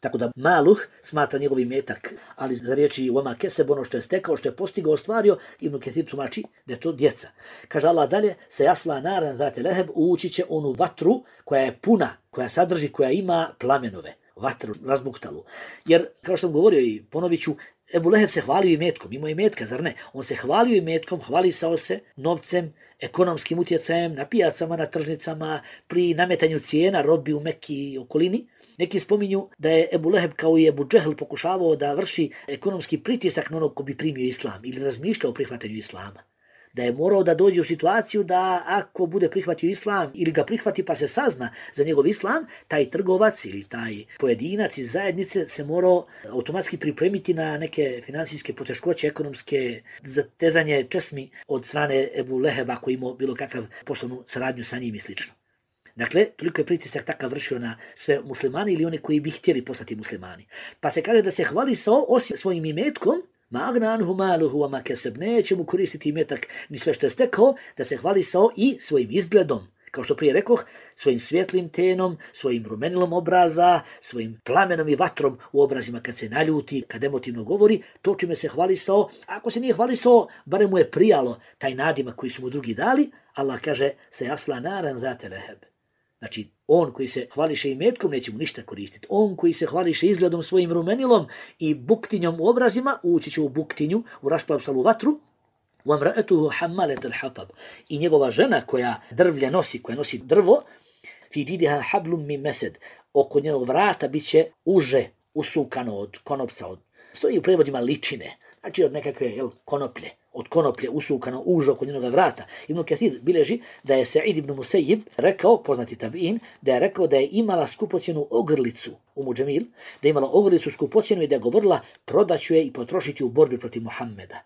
Tako da maluh smatra njegov imetak, ali za riječi oma keseb, ono što je stekao, što je postigao, ostvario, Ibn Kathir tumači da je to djeca. Kaže Allah dalje, se jasla naran zate leheb, ući će onu vatru koja je puna, koja sadrži, koja ima plamenove. Vatru razbuktalu. Jer, kao što sam govorio i ponovit ću, Ebu Leheb se hvalio imetkom, imao imetka, zar ne? On se hvalio imetkom, hvalisao se novcem, ekonomskim utjecajem na pijacama, na tržnicama, pri nametanju cijena robi u Mekki i okolini. Neki spominju da je Ebu Leheb kao i Ebu Džehl pokušavao da vrši ekonomski pritisak na onog ko bi primio islam ili razmišljao o prihvatanju islama. Da je morao da dođe u situaciju da ako bude prihvatio islam ili ga prihvati pa se sazna za njegov islam, taj trgovac ili taj pojedinac iz zajednice se morao automatski pripremiti na neke finansijske poteškoće, ekonomske zatezanje česmi od strane Ebu Leheba koji imao bilo kakav poslovnu saradnju sa njim i slično. Dakle, toliko je pritisak takav vršio na sve muslimani ili one koji bi htjeli postati muslimani. Pa se kaže da se hvalisao osim svojim imetkom, ma agna anhu maluhu wa ma keseb, neće mu koristiti imetak ni sve što je stekao, da se hvalisao i svojim izgledom. Kao što prije rekoh, svojim svjetlim tenom, svojim rumenilom obraza, svojim plamenom i vatrom u obrazima kad se naljuti, kad emotivno govori, to čime se hvalisao. Ako se nije hvalisao, barem mu je prijalo taj nadimak koji su mu drugi dali. Allah kaže, se jasla naran zate leheb. Znači, on koji se hvališe imetkom neće mu ništa koristiti. On koji se hvališe izgledom svojim rumenilom i buktinjom u obrazima, ući će u buktinju, u rasplavsalu vatru. وَمْرَأَتُهُ حَمَّلَةَ الْحَطَبِ. I njegova žena koja drvlje nosi, koja nosi drvo, فِي جِيدِهَا حَبْلٌ مِّن مَسَدٍ. Oko njenog vrata bit će uže usukano od konopca. Stoji u prevodima ličine, znači od nekakve konoplje. Od konoplje usukano uže oko njenog vrata. Ibn Kathir bilježi da je Sa'id ibn Musayyib rekao, poznati tabi'in, da je rekao da je imala skupocjenu ogrlicu u Muđemil, da je imala ogrlicu skupocjenu i da je govorila prodaću je i potrošiti u borbi protiv Muhammeda.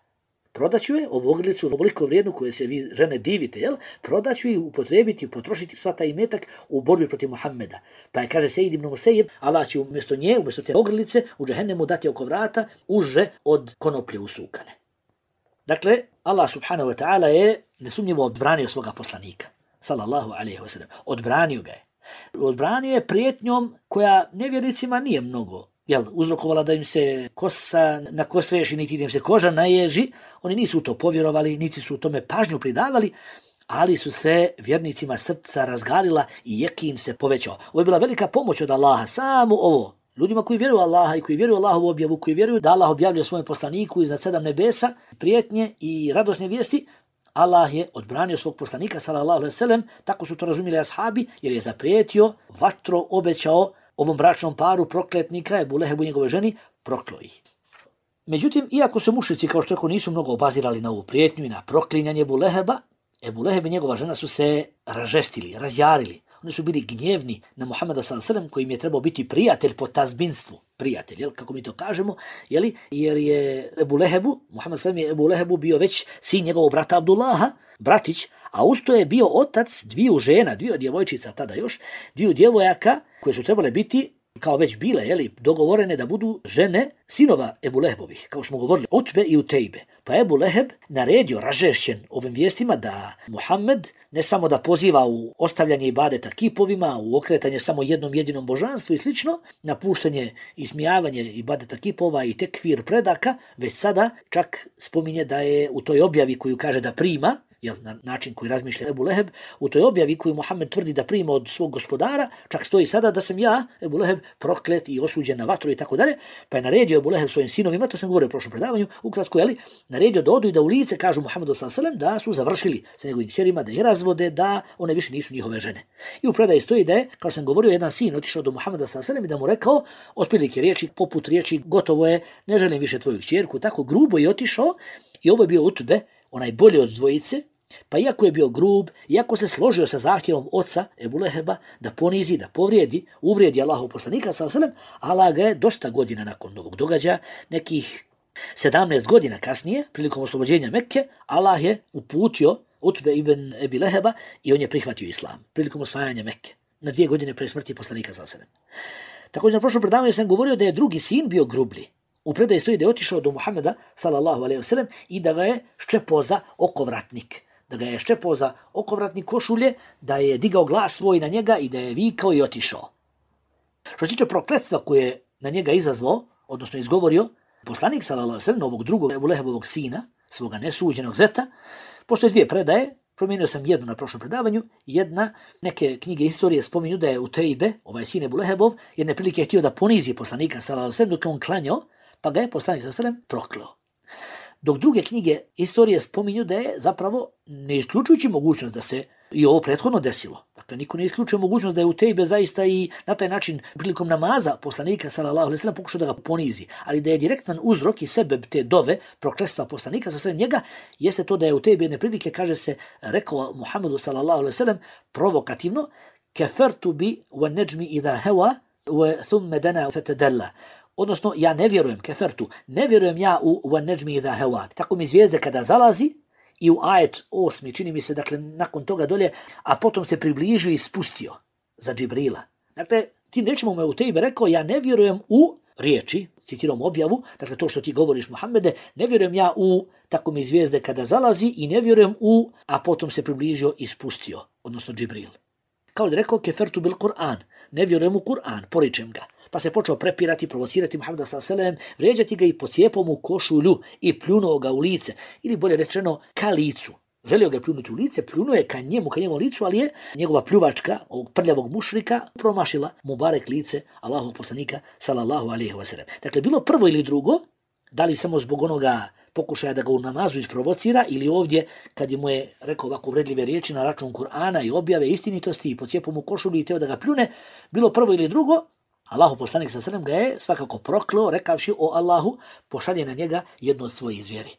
Prodaću je ovu ogrlicu, ovoliko vrijednu koje se vi žene divite, prodaću je upotrebiti, potrošiti sva taj imetak u borbi protiv Muhammeda. Pa je, kaže Sa'id ibn Musayyib, Allah će umjesto nje, umjesto te ogrlice, u džehennemu dati oko vrata uže od konoplje usukane. Dakle, Allah subhanahu wa ta'ala je nesumnjivo odbranio svoga poslanika, sallallahu alaihi wa sallam. Odbranio ga je. Odbranio je prijetnjom koja nevjernicima nije mnogo uzrokovala da im se kosa nakostreši, niti da im se koža naježi. Oni nisu u to povjerovali, niti su u tome pažnju pridavali, ali su se vjernicima srca razgalila i jekin se povećao. Ovo je bila velika pomoć od Allaha, samo ovo. Ljudima koji vjeruju Allaha i koji vjeruju Allahovu objavu, koji vjeruju da Allah objavljuje svome poslaniku iznad 7 nebesa, prijetnje i radosne vijesti, Allah je odbranio svog poslanika, sallallahu alejhi ve sellem, tako su to razumjeli ashabi, jer je zaprijetio, vatro obećao ovom bračnom paru prokletnika, Ebu Lehebu i njegove ženi, prokleo ih. Međutim, iako se mušrici, kao što nisu mnogo obazirali na ovu prijetnju i na proklinjanje Ebu Leheba, Ebu Leheb i njegova žena su se ražestili, razjarili. Oni su bili gnjevni na Muhammeda s.a.v. kojim je trebao biti prijatelj po tazbinstvu. Prijatelj, kako mi to kažemo, jer je Ebu Lehebu, Muhammed s.a.v. je Ebu Lehebu bio već sin njegovog brata Abdullaha, bratić, a usto je bio otac dviju žena, dviju djevojčica tada još, dviju djevojaka koje su trebale biti, kao već bile, dogovorene da budu žene sinova Ebu Lehebovih, kao smo govorili, Utbe i Utejbe. Pa Ebu Leheb naredio, ražešćen ovim vijestima, da Muhammed ne samo da poziva u ostavljanje ibadeta kipovima, u okretanje samo jednom jedinom božanstvu i slično, napuštanje i smijavanje ibadeta kipova i tekfir predaka, već sada čak spominje da je u toj objavi koju kaže da prima, na način koji razmišlja Ebu Leheb, u toj objavi koju Muhammed tvrdi da prima od svog gospodara, čak stoji sada da sam ja, Ebu Leheb, proklet i osuđen na vatru i tako dalje, pa je naredio Ebu Leheb svojim sinovima, to sam govorio u prošlom predavanju, ukratko, naredio da odu i da u lice kažu Muhammedu s.a.v. da su završili sa njegovim kćerima, da ih razvode, da one više nisu njihove žene. I u predaji stoji da je, kao sam govorio, jedan sin otišao do Muhammeda s.a.v. i da mu rekao, otprilike riječi, poput riječi, gotovo je, ne želim više tvoju kćerku, tako grubo je otišao i ovo je bio Utbe, onaj bolji od dvojice, pa iako je bio grub, iako se složio sa zahtjevom oca Ebu Leheba da ponizi, da povrijedi, uvrijedi Allahov poslanika s.a.v. Allah ga je dosta godina nakon ovog događaja, nekih 17 godina kasnije, prilikom oslobođenja Mekke, Allah je uputio Utbe ibn Ebi Leheba i on je prihvatio islam prilikom osvajanja Mekke, na 2 godine pre smrti poslanika s.a.v. Također na prošlom predavanju sam govorio da je drugi sin bio grublji. U predaji stoji da je otišao do Muhameda sallallahu alejhi ve sellem i da ga je ščepao za okovratnik. Da ga je ščepao za okovratnik košulje, da je digao glas svoj na njega i da je vikao i otišao. Što se tiče prokletstva koje je na njega izazvao, odnosno izgovorio, poslanik sallallahu alejhi ve sellem, ovog drugog Ebu Lehebovog sina, svoga nesuđenog zeta, postoje 2 predaje, promijenio sam jednu na prošlom predavanju, jedna, neke knjige historije spominju da je Utejbe, ovaj sin Ebu Lehebov, jedne prilike htio da ponizi poslanika sallallahu alejhi ve sellem dok je on klanjao, pa ga je poslanik sallallahu alejhi ve sellem prokleo. Dok druge knjige historije spominju da je zapravo, ne isključujući mogućnost da se i ovo prethodno desilo. Dakle, niko ne isključuje mogućnost da je Utejbe zaista i na taj način prilikom namaza poslanika sallallahu alejhi ve sellem pokušao da ga ponizi, ali da je direktan uzrok i sebeb te dove prokletstva poslanika sallallahu alejhi ve sellem njega jeste to da je Utejbe jedne prilike, kaže se, rekao Muhammedu sallallahu alejhi ve sellem provokativno: "Kafartu bi wan najmi idha hawa wa thumma dana fatadalla." Odnosno, ja ne vjerujem, kefertu, ne vjerujem ja u wan najmi idha hawa. Tako mi zvijezde kada zalazi, i u ajet 8, čini mi se, dakle, nakon toga dolje, a potom se približio i spustio za Džibrila. Dakle, tim rečima mu Utejbe rekao, ja ne vjerujem u riječi, citiram objavu, dakle, to što ti govoriš, Muhammede, ne vjerujem ja u tako mi zvijezde kada zalazi i ne vjerujem u, a potom se približio i spustio, odnosno Džibril. Kao da rekao, kefertu bil Kur'an, ne vjerujem u Kur'an, poričem ga. Pa se počeo prepirati, provocirati Muhammeda s.a.v. vrijeđati ga i pocijepom u košulju i pljunuo ga u lice, ili bolje rečeno ka licu. Želio ga je pljunuti u lice, pljunuo je ka njegovom licu, ali je njegova pljuvačka ovog prljavog mušrika promašila Mubarek lice Allahovog poslanika sallallahu alejhi ve sellem. Dakle, bilo prvo ili drugo, da li samo zbog onoga pokušaja da ga u namazu isprovocira ili ovdje kad mu je rekao ovako uvredljive riječi na račun Kur'ana i objave istinitosti i pocijepom u košulju i teo da ga pljune, bilo prvo ili drugo, Allahov poslanik s.a.v. ga je svakako prokleo, rekavši: o Allahu, pošalje na njega jednu od svojih zvijeri.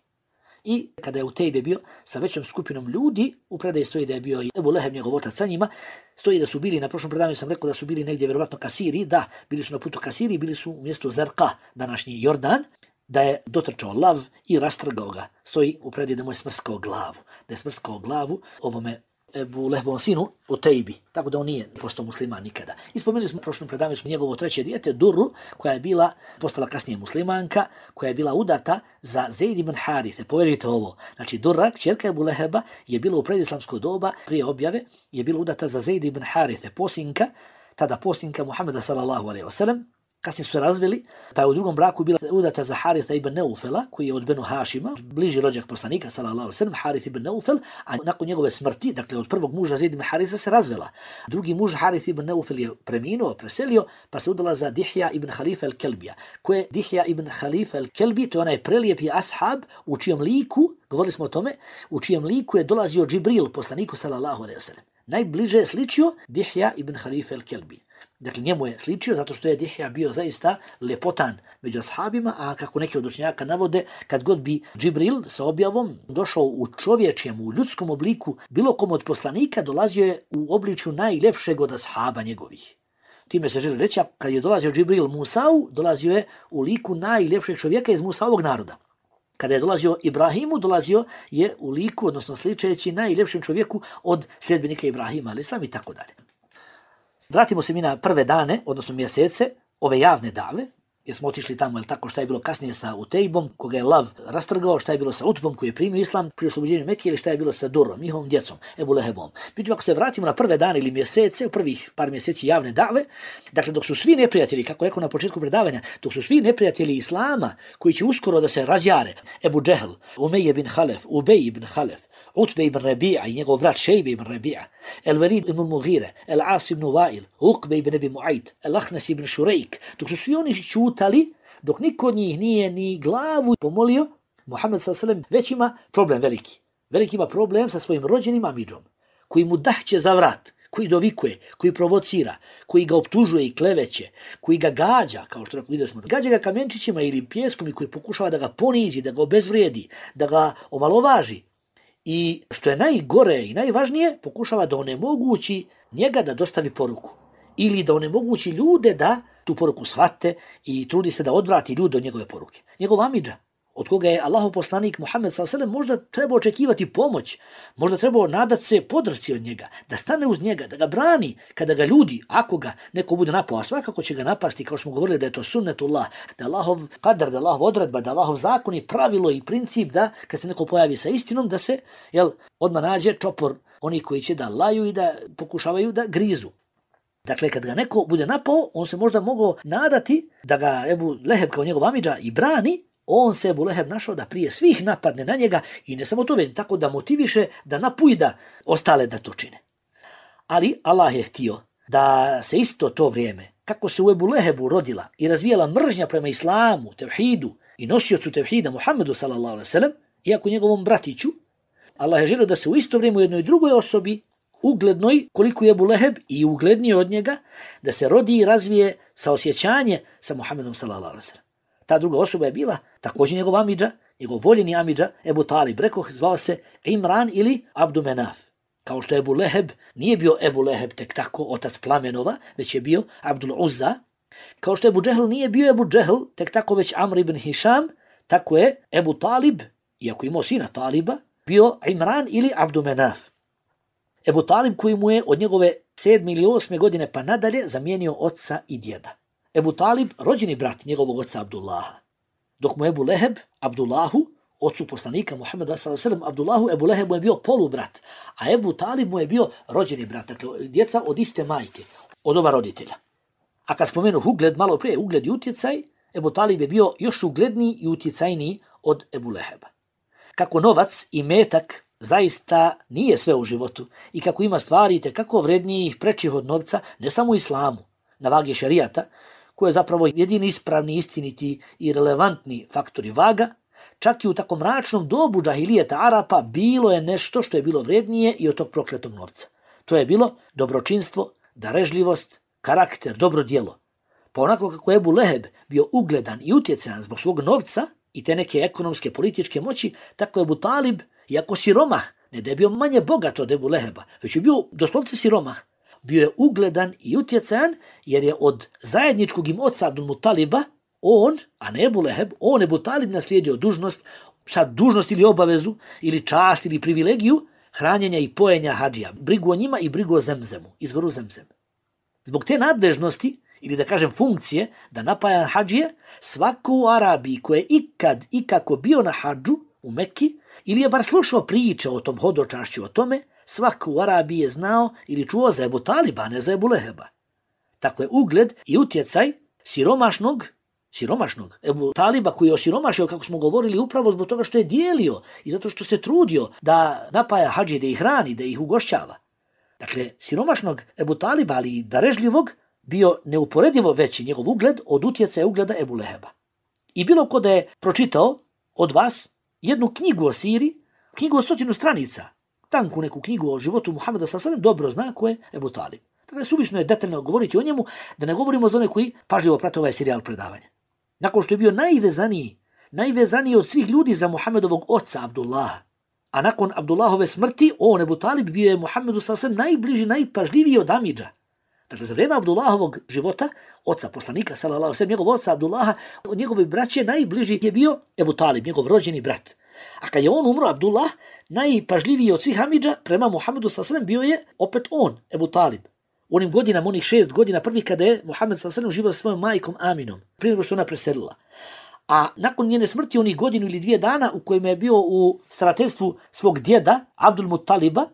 I kada je Utejbe bio sa većom skupinom ljudi, u predaji stoji da je bio i Ebu Leheb, njegov otac sa njima, stoji da su bili, na prošlom predavanju sam rekao da su bili negdje vjerovatno ka Siriji, da, bili su na putu ka Siriji, bili su u mjestu Zerqa, današnji Jordan, da je dotrčao lav i rastrgao ga. Stoji u predaji da mu je smrskao glavu ovome Ebu Lehebovom sinu Utejbi, tako da on nije postao musliman nikada. I spomenuli smo u prošlom predavanju njegovo 3. dijete, Durru, koja je postala kasnije muslimanka, koja je bila udata za Zeid ibn Harithe. Povežite ovo. Znači, Durra, kćerka Ebu Leheba, je bila u predislamsko doba, prije objave, je bila udata za Zeid ibn Harithe, tada posinka Muhammeda sallallahu alejhi ve sellem. Kasnije su se razveli, pa je u drugom braku bila udata za Haritha ibn Neufela, koji je od Benu Hašima, bliži rođak poslanika, sallallahu alejhi ve sellem, Harith ibn Neufel, a nakon njegove smrti, dakle od prvog muža Zeid ibn Haritha se razvela. Drugi muž Harith ibn Neufel je preminuo, preselio, pa se udala za Dihja ibn Halifa al-Kelbija. Ko je Dihja ibn Halifa al-Kelbi? To je onaj prelijepi ashab u čijem liku, govorili smo o tome, u čijem liku je dolazio Džibril, poslaniku, sallallahu alejhi ve sellem. Najbliže je sličio Dihja ibn Halifa al-Kelbi. Dakle, njemu je sličio zato što je Dihja bio zaista lepotan među ashabima, a kako neki od učenjaka navode, kad god bi Džibril sa objavom došao u čovječjem, u ljudskom obliku, bilo kom od poslanika, dolazio je u obličju najljepšeg od ashaba njegovih. Time se želi reći, kad je dolazio Džibril Musau, dolazio je u liku najljepšeg čovjeka iz Musaovog naroda. Kada je dolazio Ibrahimu, dolazio je u liku, odnosno sličeći najljepšem čovjeku od sljedbenika Ibrahima, ali islam i tako dalje. Vratimo se mi na prve dane, odnosno mjesece, ove javne dave, jer smo otišli tamo, tako, šta je bilo kasnije sa Utejbom, koga je lav rastrgao, šta je bilo sa Utbom koji je primio islam pri oslobođenju Mekke, ili šta je bilo sa Durrom, njihovom djecom, Ebu Lehebom. Međutim, ako se vratimo na prve dane ili mjesece, u prvih par mjeseci javne dave, dakle, dok su svi neprijatelji, kako rekao na početku predavanja, dok su svi neprijatelji islama, koji će uskoro da se razjare, Ebu Džehl, Umejje bin Halef, Ubej ibn Halef, Utbe ibn Rabi'a i njegov brat Šejbe ibn Rabi'a, El Velid ibn Mughire, El As ibn Wa'il, Uqbe ibn Abi Mu'ayt, El Ahnas ibn Šurejk, dok su svi oni čutali, dok niko od njih nije ni glavu pomolio, Muhammed s.a.v. već ima problem veliki. Veliki ima problem sa svojim rođenim amidžom, koji mu dahće za vrat, koji dovikuje, koji provocira, koji ga optužuje i kleveće, koji ga gađa, kao što vidio smo, gađa ga kamenčićima ili pjeskom i koji pokušava da ga ponizi, da ga obezvrijedi, da ga omalovaži. I što je najgore i najvažnije, pokušava da onemogući njega da dostavi poruku. Ili da onemogući ljude da tu poruku shvate i trudi se da odvrati ljude od njegove poruke. Njegov amidža, od koga je Allahov poslanik Muhammed s.a.v. možda treba očekivati pomoć, možda treba nadat se podršci od njega, da stane uz njega, da ga brani kada ga ljudi, ako ga neko bude napao, a svakako će ga napasti, kao što smo govorili da je to sunnetullah, da je Allahov kadar, da je Allahov odredba, da je Allahov zakon i pravilo i princip da kad se neko pojavi sa istinom, da se odmah nađe čopor oni koji će da laju i da pokušavaju da grizu. Dakle, kad ga neko bude napao, on se možda mogao nadati da ga Ebu Leheb kao njegov amidža i brani, on se Ebu Leheb našao da prije svih napadne na njega i ne samo to, već tako da motiviše, da napujda ostale da to čine. Ali Allah je htio da se isto to vrijeme, kako se u Ebu Lehebu rodila i razvijala mržnja prema islamu, tevhidu i nosiocu tevhida Muhammedu s.a.v. iako njegovom bratiću, Allah je želio da se u isto vrijeme u jednoj drugoj osobi, uglednoj koliko je Ebu Leheb i ugledniji od njega, da se rodi i razvije saosjećanje sa Muhammedom s.a.v. Ta druga osoba je bila također njegov amidža, njegov voljeni amidža, Ebu Talib, rekoh, zvao se Imran ili Abdu Menaf. Kao što Ebu Leheb nije bio Ebu Leheb tek tako, otac plamenova, već je bio Abdul Uzza. Kao što Ebu Džehl nije bio Ebu Džehl tek tako, već Amr ibn Hišam, tako je Ebu Talib, iako imao sina Taliba, bio Imran ili Abdu Menaf. Ebu Talib koji mu je od njegove 7. ili 8. godine pa nadalje zamijenio oca i djeda. Ebu Talib, rođeni brat njegovog oca Abdullaha. Dok mu Ebu Leheb, Abdullahu, ocu poslanika Muhammeda s.a.v. Abdullahu, Ebu Leheb mu je bio polubrat, a Ebu Talib mu je bio rođeni brat, dakle djeca od iste majke, od oba roditelja. A kad spomenu ugled, malo prije ugled i utjecaj, Ebu Talib je bio još ugledniji i utjecajniji od Ebu Leheba. Kako novac i metak zaista nije sve u životu i kako ima stvari kako vrednijih prečih od novca, ne samo u islamu, na vagi šerijata, koji je zapravo jedini ispravni, istiniti i relevantni faktori vaga, čak i u tako mračnom dobu džahilijeta Arapa bilo je nešto što je bilo vrednije i od tog prokletog novca. To je bilo dobročinstvo, darežljivost, karakter, dobro djelo. Pa onako kako je Ebu Leheb bio ugledan i utjecajan zbog svog novca i te neke ekonomske, političke moći, tako je Ebu Talib, iako siromah, ne da je bio manje bogat od Ebu Leheba, već je bio doslovce siromah, bio je ugledan i utjecajan jer je od zajedničkog im oca Abdul Mutaliba on, a ne Ebu Leheb, on Ebu Talib naslijedio dužnost, sad dužnost ili obavezu, ili čast ili privilegiju, hranjenja i pojenja hadžija, brigu o njima i brigu o Zemzemu, izvoru Zemzem. Zbog te nadležnosti, ili da kažem funkcije, da napaja hadžije, svako u Arabiji ko je ikad ikako bio na hadžu u Mekki, ili je bar slušao priče o tom hodočašću o tome, svako u Arabiji je znao ili čuo za Ebu Taliba, a ne za Ebu Leheba. Tako je ugled i utjecaj siromašnog Ebu Taliba koji je osiromašio, kako smo govorili, upravo zbog toga što je dijelio i zato što se trudio da napaja hadži, da ih hrani, da ih ugošćava. Dakle, siromašnog Ebu Taliba, ali i darežljivog, bio neuporedivo veći njegov ugled od utjecaja ugleda Ebu Leheba. I bilo ko da je pročitao od vas jednu knjigu o Siriji, knjigu od 100 stranica, tanku neku knjigu o životu Muhameda s.a.v. dobro zna ko je Ebu Talib. Dakle, suvišno je detaljno govoriti o njemu, da ne govorimo za one koji pažljivo prate ovaj serijal predavanja. Nakon što je bio najvezaniji od svih ljudi za Muhammedovog oca Abdullaha, a nakon Abdullahove smrti, on Ebu Talib bio je Muhammedu s.a.v. najbliži, najpažljiviji od amidža. Dakle, za vrijeme Abdullahovog života, oca poslanika, njegov oca Abdullaha, od njegove braće najbliži je bio Ebu Talib, njegov rođeni brat. A kad je on umro, Abdullah, najpažljiviji od svih amidža prema Muhammedu s.a.v. bio je opet on, Ebu Talib. U onim godinama, onih 6 godina prvi kada je Muhammed s.a.v. živio sa svojom majkom Aminom, prije nego što ona preselila. A nakon njene smrti, onih godinu ili 2 dana u kojima je bio u starateljstvu svog djeda, Abdul Mutaliba,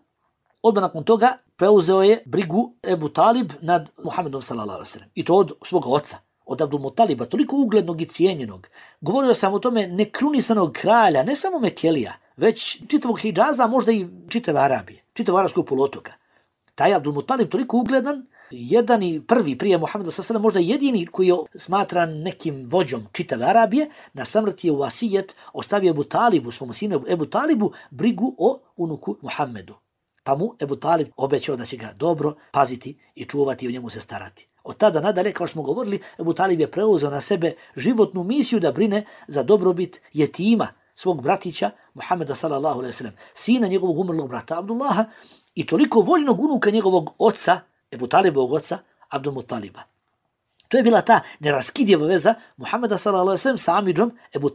odmah nakon toga preuzeo je brigu Ebu Talib nad Muhammedom s.a.v. I to od svoga oca, od Abdul Mutaliba, toliko uglednog i cijenjenog. Govorio sam o tome nekrunisanog kralja, ne samo Mekelija, već čitavog Hidžaza, možda i čitave Arabije, čitavog arapskog poluotoka. Taj Abdul Mutalib toliko ugledan, jedan i prvi prije Muhameda s.a.v. možda jedini koji je smatran nekim vođom čitave Arabije, na samrti je u vasijet ostavio Ebu Talibu, svom sinu Ebu Talibu, brigu o unuku Muhammedu. Pa mu Ebu Talib obećao da će ga dobro paziti i čuvati i o njemu se starati. Od tada nadalje, kao što smo govorili, Ebu Talib je preuzeo na sebe životnu misiju da brine za dobrobit jetima, svog bratića Muhammeda s.a.v. sina njegovog umrlog brata Abdullaha i toliko voljnog unuka njegovog oca, Ebu Talibovog oca, Abdul Mutaliba. To je bila ta neraskidjeva veza Muhammeda s.a.v. sa amidžom Ebu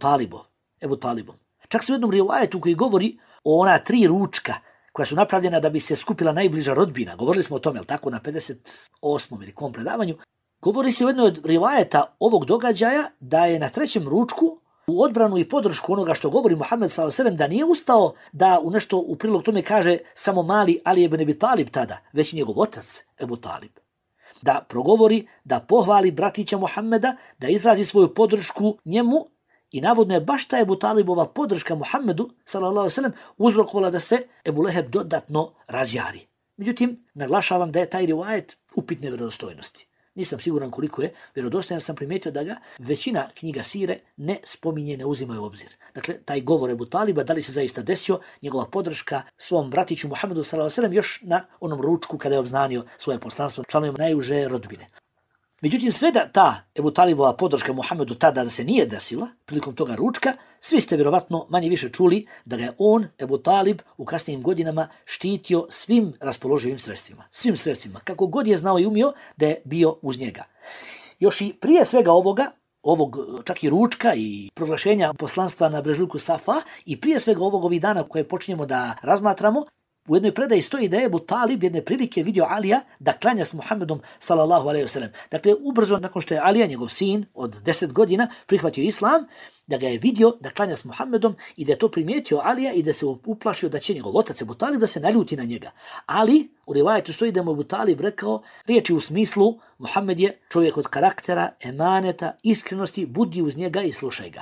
Talibom. Čak se u jednom rivajetu koji govori o ona 3 ručka koja su napravljena da bi se skupila najbliža rodbina. Govorili smo o tome, jel tako, na 58. ili kom predavanju. Govori se u jednoj od rivajeta ovog događaja da je na 3. ručku u odbranu i podršku onoga što govori Muhammed s.a.v. da nije ustao da u nešto u prilog tome kaže samo mali Ali ibn Abi Talib tada, već njegov otac Ebu Talib. Da progovori, da pohvali bratića Muhammeda, da izrazi svoju podršku njemu i navodno je baš ta Ebu Talibova podrška Muhammedu s.a.v. uzrokovala da se Ebu Leheb dodatno razjari. Međutim, naglašavam da je taj rivajet upitne vjerodostojnosti. Nisam siguran koliko je vjerodostojan, sam primijetio da ga većina knjiga sire ne spominje, ne uzimaju u obzir. Dakle, taj govor Ebu Taliba, da li se zaista desio, njegova podrška svom bratiću Muhammedu s.a.v. još na onom ručku kada je obznanio svoje poslanstvo članovima najuže rodbine. Međutim, sve da ta Ebu Talibova podrška Muhammedu tada da se nije desila, prilikom toga ručka, svi ste vjerovatno manje više čuli da ga je on, Ebu Talib, u kasnijim godinama štitio svim raspoloživim sredstvima. Svim sredstvima, kako god je znao i umio da je bio uz njega. Još i prije svega ovog čak i ručka i proglašenja poslanstva na brežuljku Safa i prije svega ovih dana koje počinjemo da razmatramo, u jednoj predaji stoji da je Ebu Talib jedne prilike vidio Alija da klanja s Muhammedom s.a.v. Dakle, ubrzo nakon što je Alija, njegov sin od 10 godina, prihvatio islam, da ga je vidio da klanja s Muhammedom i da je to primijetio Alija i da se uplašio da će njegov otac Ebu Talib da se naljuti na njega. Ali u rivajetu stoji da mu Ebu Talib rekao riječi u smislu Muhammed je čovjek od karaktera, emaneta, iskrenosti, budi uz njega i slušaj ga.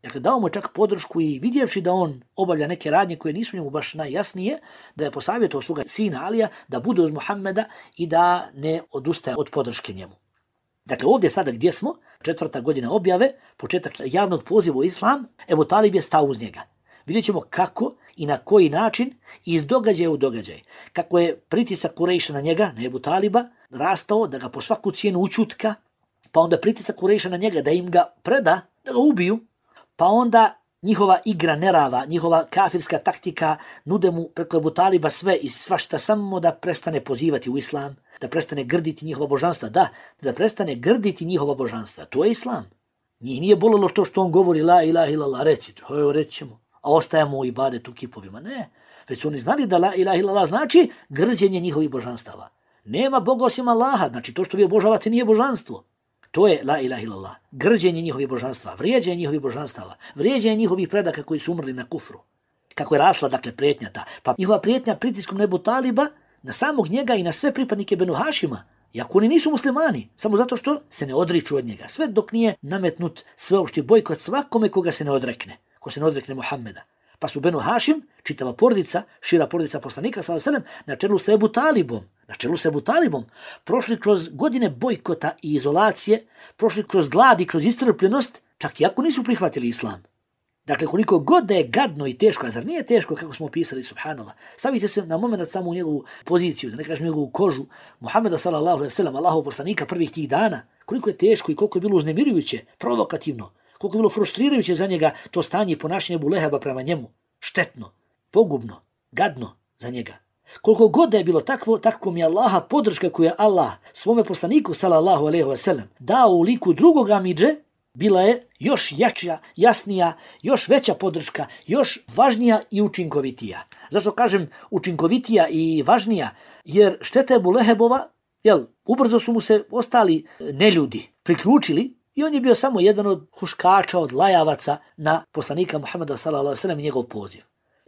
Dakle, dao mu čak podršku i vidjevši da on obavlja neke radnje koje nisu njemu baš najjasnije, da je posavjetao svoga sina Alija da bude uz Muhammeda i da ne odustaje od podrške njemu. Dakle, ovdje sada gdje smo, 4. godina objave, početak javnog poziva u islam, Ebu Talib je stao uz njega. Vidjet ćemo kako i na koji način iz događaja u događaj. Kako je pritisak Kurejša na njega, na Ebu Taliba, rastao da ga po svaku cijenu učutka, pa onda pritisak Kurejša na njega da im ga preda, da ga ubiju, pa onda njihova igra nerava, njihova kafirska taktika nude mu preko Ebu Taliba sve i svašta samo da prestane pozivati u islam, da prestane grditi njihova božanstva. Da prestane grditi njihova božanstva. To je islam. Njih nije bolilo to što on govori la ilaha illallah, reci to, reći ćemo, a ostajemo u ibadetu kipovima. Ne, već su oni znali da la ilaha illallah znači grđenje njihovih božanstava. Nema Boga osim Allaha, znači to što vi obožavate nije božanstvo. To je la ilaha illallah, grđenje njihovih božanstva, vrijeđenje njihovih božanstava, vrijeđenje njihovih predaka koji su umrli na kufru. Kako je rasla, dakle, prijetnja ta. Pa njihova prijetnja pritiskom na Ebu Taliba, na samog njega i na sve pripadnike Benu Hašima, iako oni nisu muslimani, samo zato što se ne odriču od njega, sve dok nije nametnut sveopšti bojkot svakome koga se ne odrekne, ko se ne odrekne Muhammeda. Pa su Benu Hašim, čitava porodica, šira porodica poslanika, s.a.v. na čelu sa Ebu Talibom, prošli kroz godine bojkota i izolacije, prošli kroz glad i kroz iscrpljenost, čak i ako nisu prihvatili islam. Dakle, koliko god da je gadno i teško, a zar nije teško kako smo opisali, subhanallah, stavite se na moment samo u njegovu poziciju, da ne kažem njegovu kožu, Muhammeda s.a.v. Allahov poslanika prvih tih dana, koliko je teško i koliko je bilo uznemirujuće, provokativno, koliko je bilo frustrirajuće za njega to stanje i ponašanje Ebu Leheba prema njemu, štetno, pogubno, gadno za njega. Koliko god da je bilo takvo, tako mi je Allaha podrška koju je Allah svome poslaniku sallallahu alejhi ve sellem dao u liku drugog amidže, bila je još jača, jasnija, još veća podrška, još važnija i učinkovitija. Zašto kažem učinkovitija i važnija? Jer šteta Ebu Lehebova, ubrzo su mu se ostali neljudi priključili i on je bio samo jedan od huškača, od lajavaca na poslanika Muhammeda sallallahu alejhi ve sellem i njegov poziv.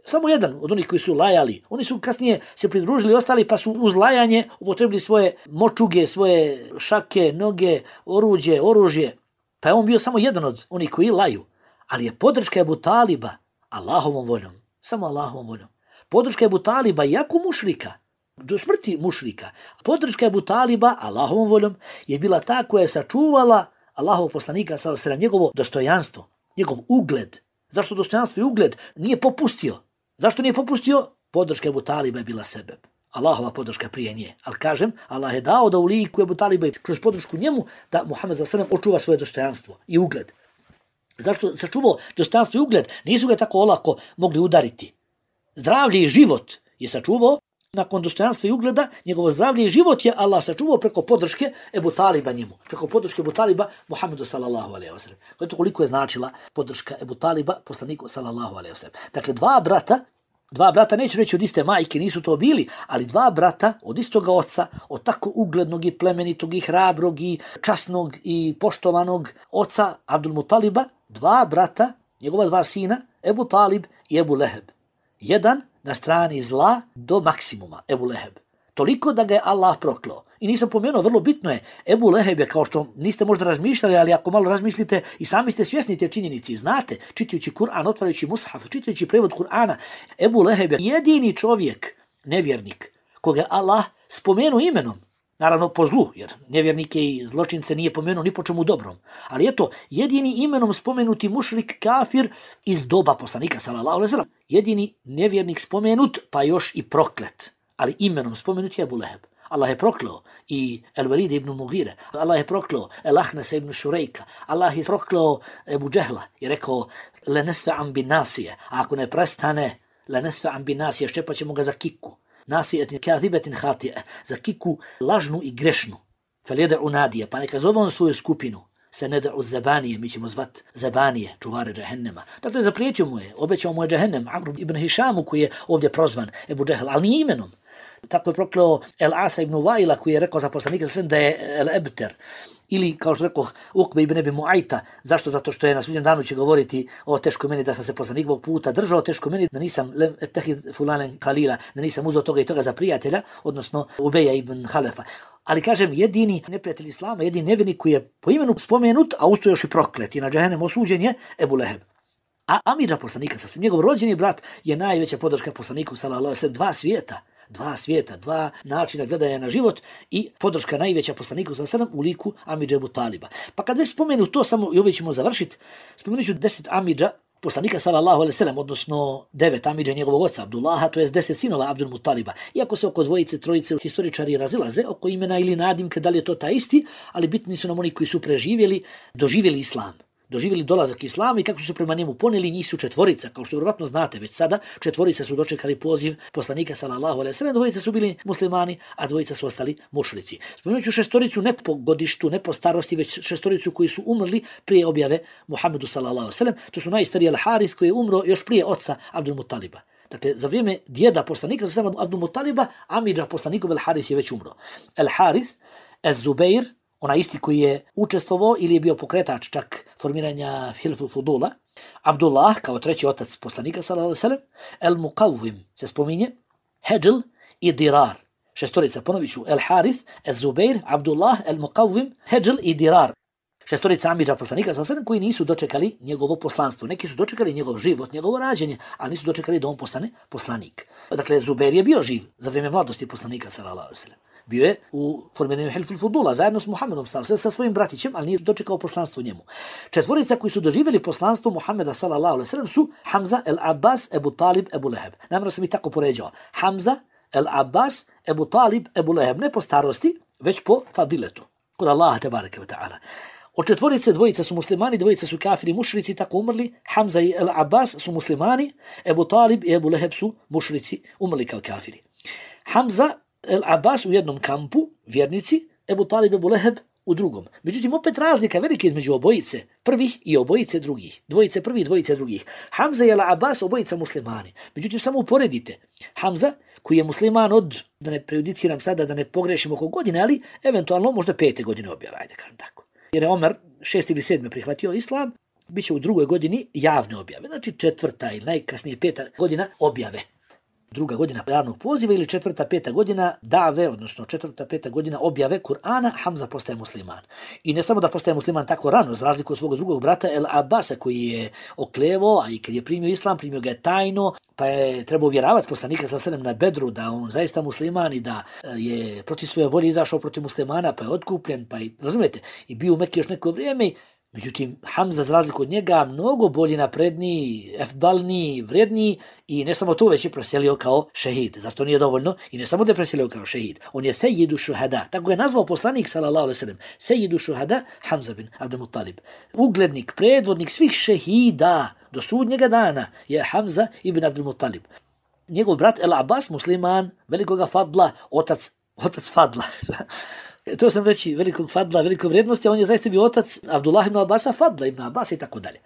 Samo jedan od onih koji su lajali. Oni su kasnije se pridružili ostali pa su uz lajanje upotrebili svoje močuge, svoje šake, noge, oružje. Pa je on bio samo jedan od onih koji laju. Ali je podrška Ebu Taliba Allahovom voljom, samo Allahovom voljom. Podrška Ebu Taliba, jako mušrika, do smrti mušrika, podrška Ebu Taliba, Allahovom voljom, je bila ta koja je sačuvala Allahovog poslanika, sallallahu alejhi ve sellem, njegovo dostojanstvo, njegov ugled. Zašto dostojanstvo i ugled nije popustio? Zašto nije popustio? Podrška Ebu Taliba je bila sebeb. Allahova podrška prije nje. Ali kažem, Allah je dao da u liku Ebu Taliba i kroz podršku njemu da Muhammed sallallahu alejhi ve sellem očuva svoje dostojanstvo i ugled. Zašto sačuvao dostojanstvo i ugled? Nisu ga tako olako mogli udariti. Zdravlje i život je sačuvao. Nakon dostojanstva i ugleda, njegovo zdravlje i život je Allah sačuvao preko podrške Ebu Taliba njemu. Preko podrške Ebu Taliba Muhammedu sallallahu alejhi ve sellem. Koliko je značila podrška Ebu Taliba poslaniku sallallahu alejhi ve sellem. Dakle, dva brata, neću reći od iste majke, nisu to bili, ali dva brata od istoga oca, od tako uglednog i plemenitog i hrabrog i časnog i poštovanog oca Abdul Mutaliba, dva brata, njegova dva sina, Ebu Talib i Ebu Leheb. Jedan na strani zla do maksimuma, Ebu Leheb. Toliko da ga je Allah proklao. I nisam pomenuo, vrlo bitno je, Ebu Leheb je, kao što niste možda razmišljali, ali ako malo razmislite i sami ste svjesni te činjenici, znate, čitajući Kur'an, otvarajući mushaf, čitajući prevod Kur'ana, Ebu Leheb je jedini čovjek, nevjernik, koga je Allah spomenuo imenom. Naravno po zlu, jer nevjernike i zločince nije pomenuo ni po čemu dobrom. Ali eto, jedini imenom spomenuti mušrik kafir iz doba poslanika, sallallahu alejhi ve sellem. Jedini nevjernik spomenut, pa još i proklet. Ali imenom spomenut je Ebu Leheb. Allah je proklao i El-Walid ibn Mughire, Allah je proklao El-Ahnesa ibn Šurejka, Allah je proklao Ebu Džehla i rekao lenesfe'an bin nasije, a ako ne prestane lenesfe'an bin nasije, ščepat ćemo ga za kiku. Nasijetin kazibetin hatije, za kiku lažnu i grešnu. Feljede'u nadije, pa neka zove on svoju skupinu. Se ne da'u zabanije, mi ćemo zvat zabanije, čuvare džahennema. Dakle, zaprijetio mu je, obećao mu je džahennem, Amr ibn Hišamu koji je ovdje prozvan, Ebu Džehl, ali nije imenom. Tako je proklao El-Asa ibn Vaila koji je rekao za poslanika da je El-Ebter. Ili, kao što rekao, Ukbe ibn Ebi Muajta. Zašto? Zato što je na sudnjem danu će govoriti o teško meni da sam se poslanikovog puta držao, teško meni da nisam tehid fulanen kalila, da nisam uzeo toga i toga za prijatelja, odnosno Ubeja ibn Halefa. Ali kažem, jedini neprijatelj Islama, jedini nevjernik koji je po imenu spomenut, a usto još i proklet i na džahennem osuđen je Ebu Leheb. A amidža poslanika, sasvim njegov rođeni brat, je najveća podrška poslaniku, sallallahu alejhi ve sellem, dva svijeta, dva načina gledanja na život i podrška najveća poslaniku sallallahu alejhi ve sellem u liku amidže Ebu Taliba. Pa kad već spomenu to, samo i ovdje ćemo završiti, spomenut ću 10 amidža poslanika sallallahu alejhi ve sellem, odnosno 9 amidža njegovog oca Abdullaha, to je 10 sinova Abdul Mutaliba. Iako se oko dvojice, trojice historičari razilaze oko imena ili nadimke, da li je to ta isti, ali bitni su nam oni koji su preživjeli, doživjeli islam. Doživjeli dolazak islama i kako su se prema njemu poneli, njih su četvorica, kao što vjerovatno znate već sada, četvorica su dočekali poziv poslanika sallallahu alejhi ve sellem, dvojica su bili muslimani, a dvojica su ostali mušrici. Spomenut ću šestoricu ne po godištu, ne po starosti, već šestoricu koji su umrli prije objave Muhammedu sallallahu alejhi ve sellem. To su najstariji Al-Haris koji je umro još prije oca Abdul Mutaliba. Dakle, za vrijeme djeda poslanika sallallahu Abdul Mutaliba, amidža poslanikov Al-Haris je već umro. Al-Haris, Az-Zubair, onaj isti koji je učestvovao ili je bio pokretač čak formiranja Hilful Fudula, Abdullah kao treći otac poslanika sallallahu alejhi ve sellem, El-Muqawwim se spominje, Hedžl i Dirar. Šestorica, ponovit ću, El-Harith, Ez-Zubair, Abdullah, El-Muqawwim, Hedžl i Dirar. Šestorica amidža poslanika sallallahu alejhi ve sellem koji nisu dočekali njegovo poslanstvo. Neki su dočekali njegov život, njegovo rađenje, ali nisu dočekali da on postane poslanik. Dakle, Zubair je bio živ za vrijeme mladosti poslanika sallallahu alejhi ve sellem. Bio je u formiranju Hilful Fudula zajedno s Muhammedom sa svojim bratićem, ali nije dočekao poslanstvo njemu. Četvorica koji su doživjeli poslanstvo Muhammeda sallallahu alejhi ve sellem su Hamza, El-Abbas, Ebu Talib, Ebu Leheb. Namjerno sam ih tako poređao. Hamza, El-Abbas, Ebu Talib, Ebu Leheb. Ne po starosti, već po fadiletu. Kod Allaha tebareke ve ta'ala. Od četvorice dvojica su muslimani, dvojica su kafiri mušrici, tako umrli. Hamza i El-Abbas su muslimani, Ebu Talib i Ebu Leheb su mušrici, umrli kao kafiri. Hamza, El-Abbas u jednom kampu, vjernici, Ebu Talib, Ebu Leheb u drugom. Međutim, opet razlika velike između obojice prvih i obojice drugih. Dvojice prvih, dvojice drugih. Hamza i El-Abbas obojica muslimani. Međutim, samo uporedite. Hamza, koji je musliman od, da ne prejudiciram sada, da ne pogrešim oko godine, ali eventualno možda 5. godine objave, ajde kažem tako. Jer je Omer 6. ili 7. prihvatio islam, bit će u 2. godini javne objave. Znači 4. ili najkasnije 5. godina objave. druga godina javnog poziva ili 4., 5. godina dave, odnosno 4., 5. godina objave Kur'ana, Hamza postaje musliman. I ne samo da postaje musliman tako rano, za razliku od svog drugog brata El Abasa koji je oklevo, a i kad je primio islam, primio ga je tajno, pa je trebao uvjeravati poslanika sallallahu alejhi ve sellem na Bedru da on zaista musliman i da je protiv svoje volje izašao protiv muslimana, pa je otkupljen, pa i razumijete, i bio u Mekki još neko vrijeme. Međutim, Hamza za razliku od njega mnogo bolji, napredniji, efdalniji, vredniji i ne samo to, već je preselio kao šehid. Zar to nije dovoljno? I ne samo da je preselio kao šehid, on je sejjidu šuhada. Tako je nazvao poslanik sallallahu alejhi ve sellem, sejjidu šuhada Hamza bin Abdul Muttalib. Uglednik, predvodnik svih šehida do sudnjega dana je Hamza ibn Abdul Muttalib. Njegov brat El Abbas, musliman, velikoga fadla, otac fadla. To sam reći, velikog fadla, velikog vrijednosti, a on je zaista bio otac Abdullah ibn Abbasa, Fadla ibn Abbasa i tako dalje.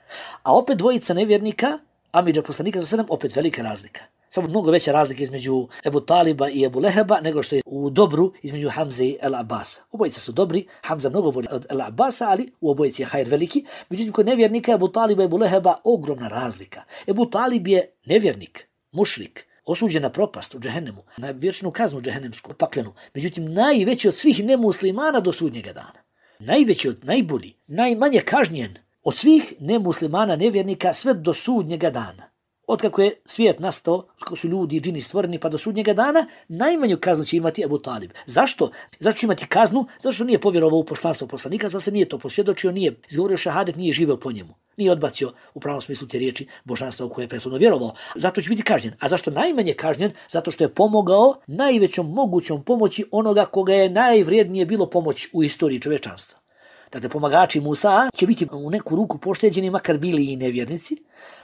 A opet dvojica nevjernika, amidža poslanika za sedam, opet velika razlika. Samo mnogo veća razlika između Ebu Taliba i Ebu Leheba nego što je u dobru između Hamze i El Abbasa. Obojica su dobri, Hamza mnogo bolji od El Abbasa, ali u obojici je hajr veliki. Međutim, kod nevjernika Ebu Taliba i Ebu Leheba ogromna razlika. Ebu Talib je nevjernik, mušrik, osuđen na propast u džehennemu, na vječnu kaznu džehennemsku, paklenu. Međutim, najveći od svih nemuslimana do sudnjega dana. Najveći od najbolji, najmanje kažnjen od svih nemuslimana, nevjernika, sve do sudnjega dana. Otkako je svijet nastao, kako su ljudi i džini stvoreni pa do sudnjega dana, najmanju kaznu će imati Ebu Talib. Zašto? Zašto će imati kaznu? Zato što nije povjerovao u poslanstvo poslanika, zato se nije to posvjedočio, nije izgovorio šehadet, nije živeo po njemu. Nije odbacio u pravom smislu te riječi božanstva u koje je prethodno vjerovao. Zato će biti kažnjen. A zašto najmanje kažnjen? Zato što je pomogao najvećom mogućom pomoći onoga koga je najvrijednije bilo pomoć u istoriji čovječanstva. Dakle, pomagači Musa će biti u neku ruku pošteđeni, makar bili i nevjernici.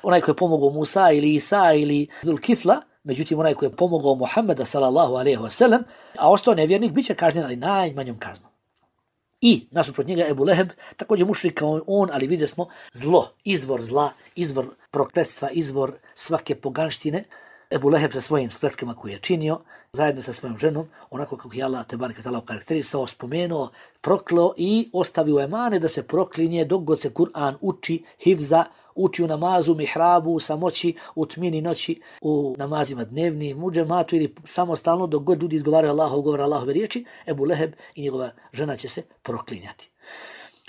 Onaj koji je pomogao Musa ili Isa ili Zulkifla, međutim onaj koji je pomogao Muhammeda sallallahu alejhi ve sellem, a ostao nevjernik, bit će kažnjen, ali najmanjom kaznom. I nasuprot njega Ebu Leheb, također mušrik kao on, ali vidjeli smo zlo, izvor zla, izvor prokletstva, izvor svake poganštine. Ebu Leheb sa svojim spletkama koje je činio, zajedno sa svojom ženom, onako kako je Allah tebareke ta'ala karakterisao, spomenuo, prokleo i ostavio emane da se proklinje dok god se Kur'an uči, hifza, uči u namazu, mihrabu, u samoći, u tmini noći, u namazima dnevnim, u džematu ili samostalno dok god ljudi izgovaraju Allahov govor, Allahove riječi, Ebu Leheb i njegova žena će se proklinjati.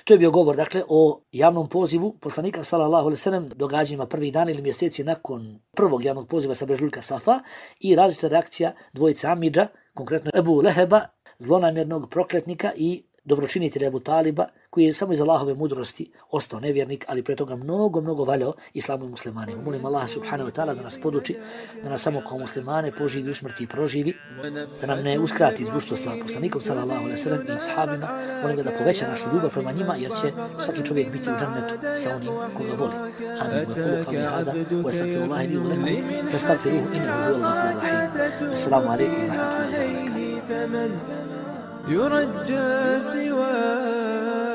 To je bio govor, dakle, o javnom pozivu poslanika sallallahu alejhi ve sellem, događanjima prvih dana ili mjeseci nakon prvog javnog poziva sa brežuljka Safa i različita reakcija dvojice amidža, konkretno Ebu Leheba, zlonamjernog prokletnika i dobročinitelja Ebu Taliba, koji je samo iz Allahove mudrosti ostao nevjernik, ali pre toga mnogo valjao islamu i muslimanima. Molim Allah subhanahu wa ta'ala da nas poduči, da nas samo kao muslimane poživi, usmrti i proživi, da nam ne uskrati društvo sa poslanikom sallallahu alejhi ve sellem i ashabima. Molim ga da poveća našu ljubav prema njima, jer će svaki čovjek biti u džennetu sa onim koga voli. Amin. Wa qulu qawli hada wa astaghfirullaha li wa lakum fastaghfiruhu innahu huwal ghafurur rahim. Assalamu alaykum wa rahmatullahi wa barakatuh.
يرجى سواه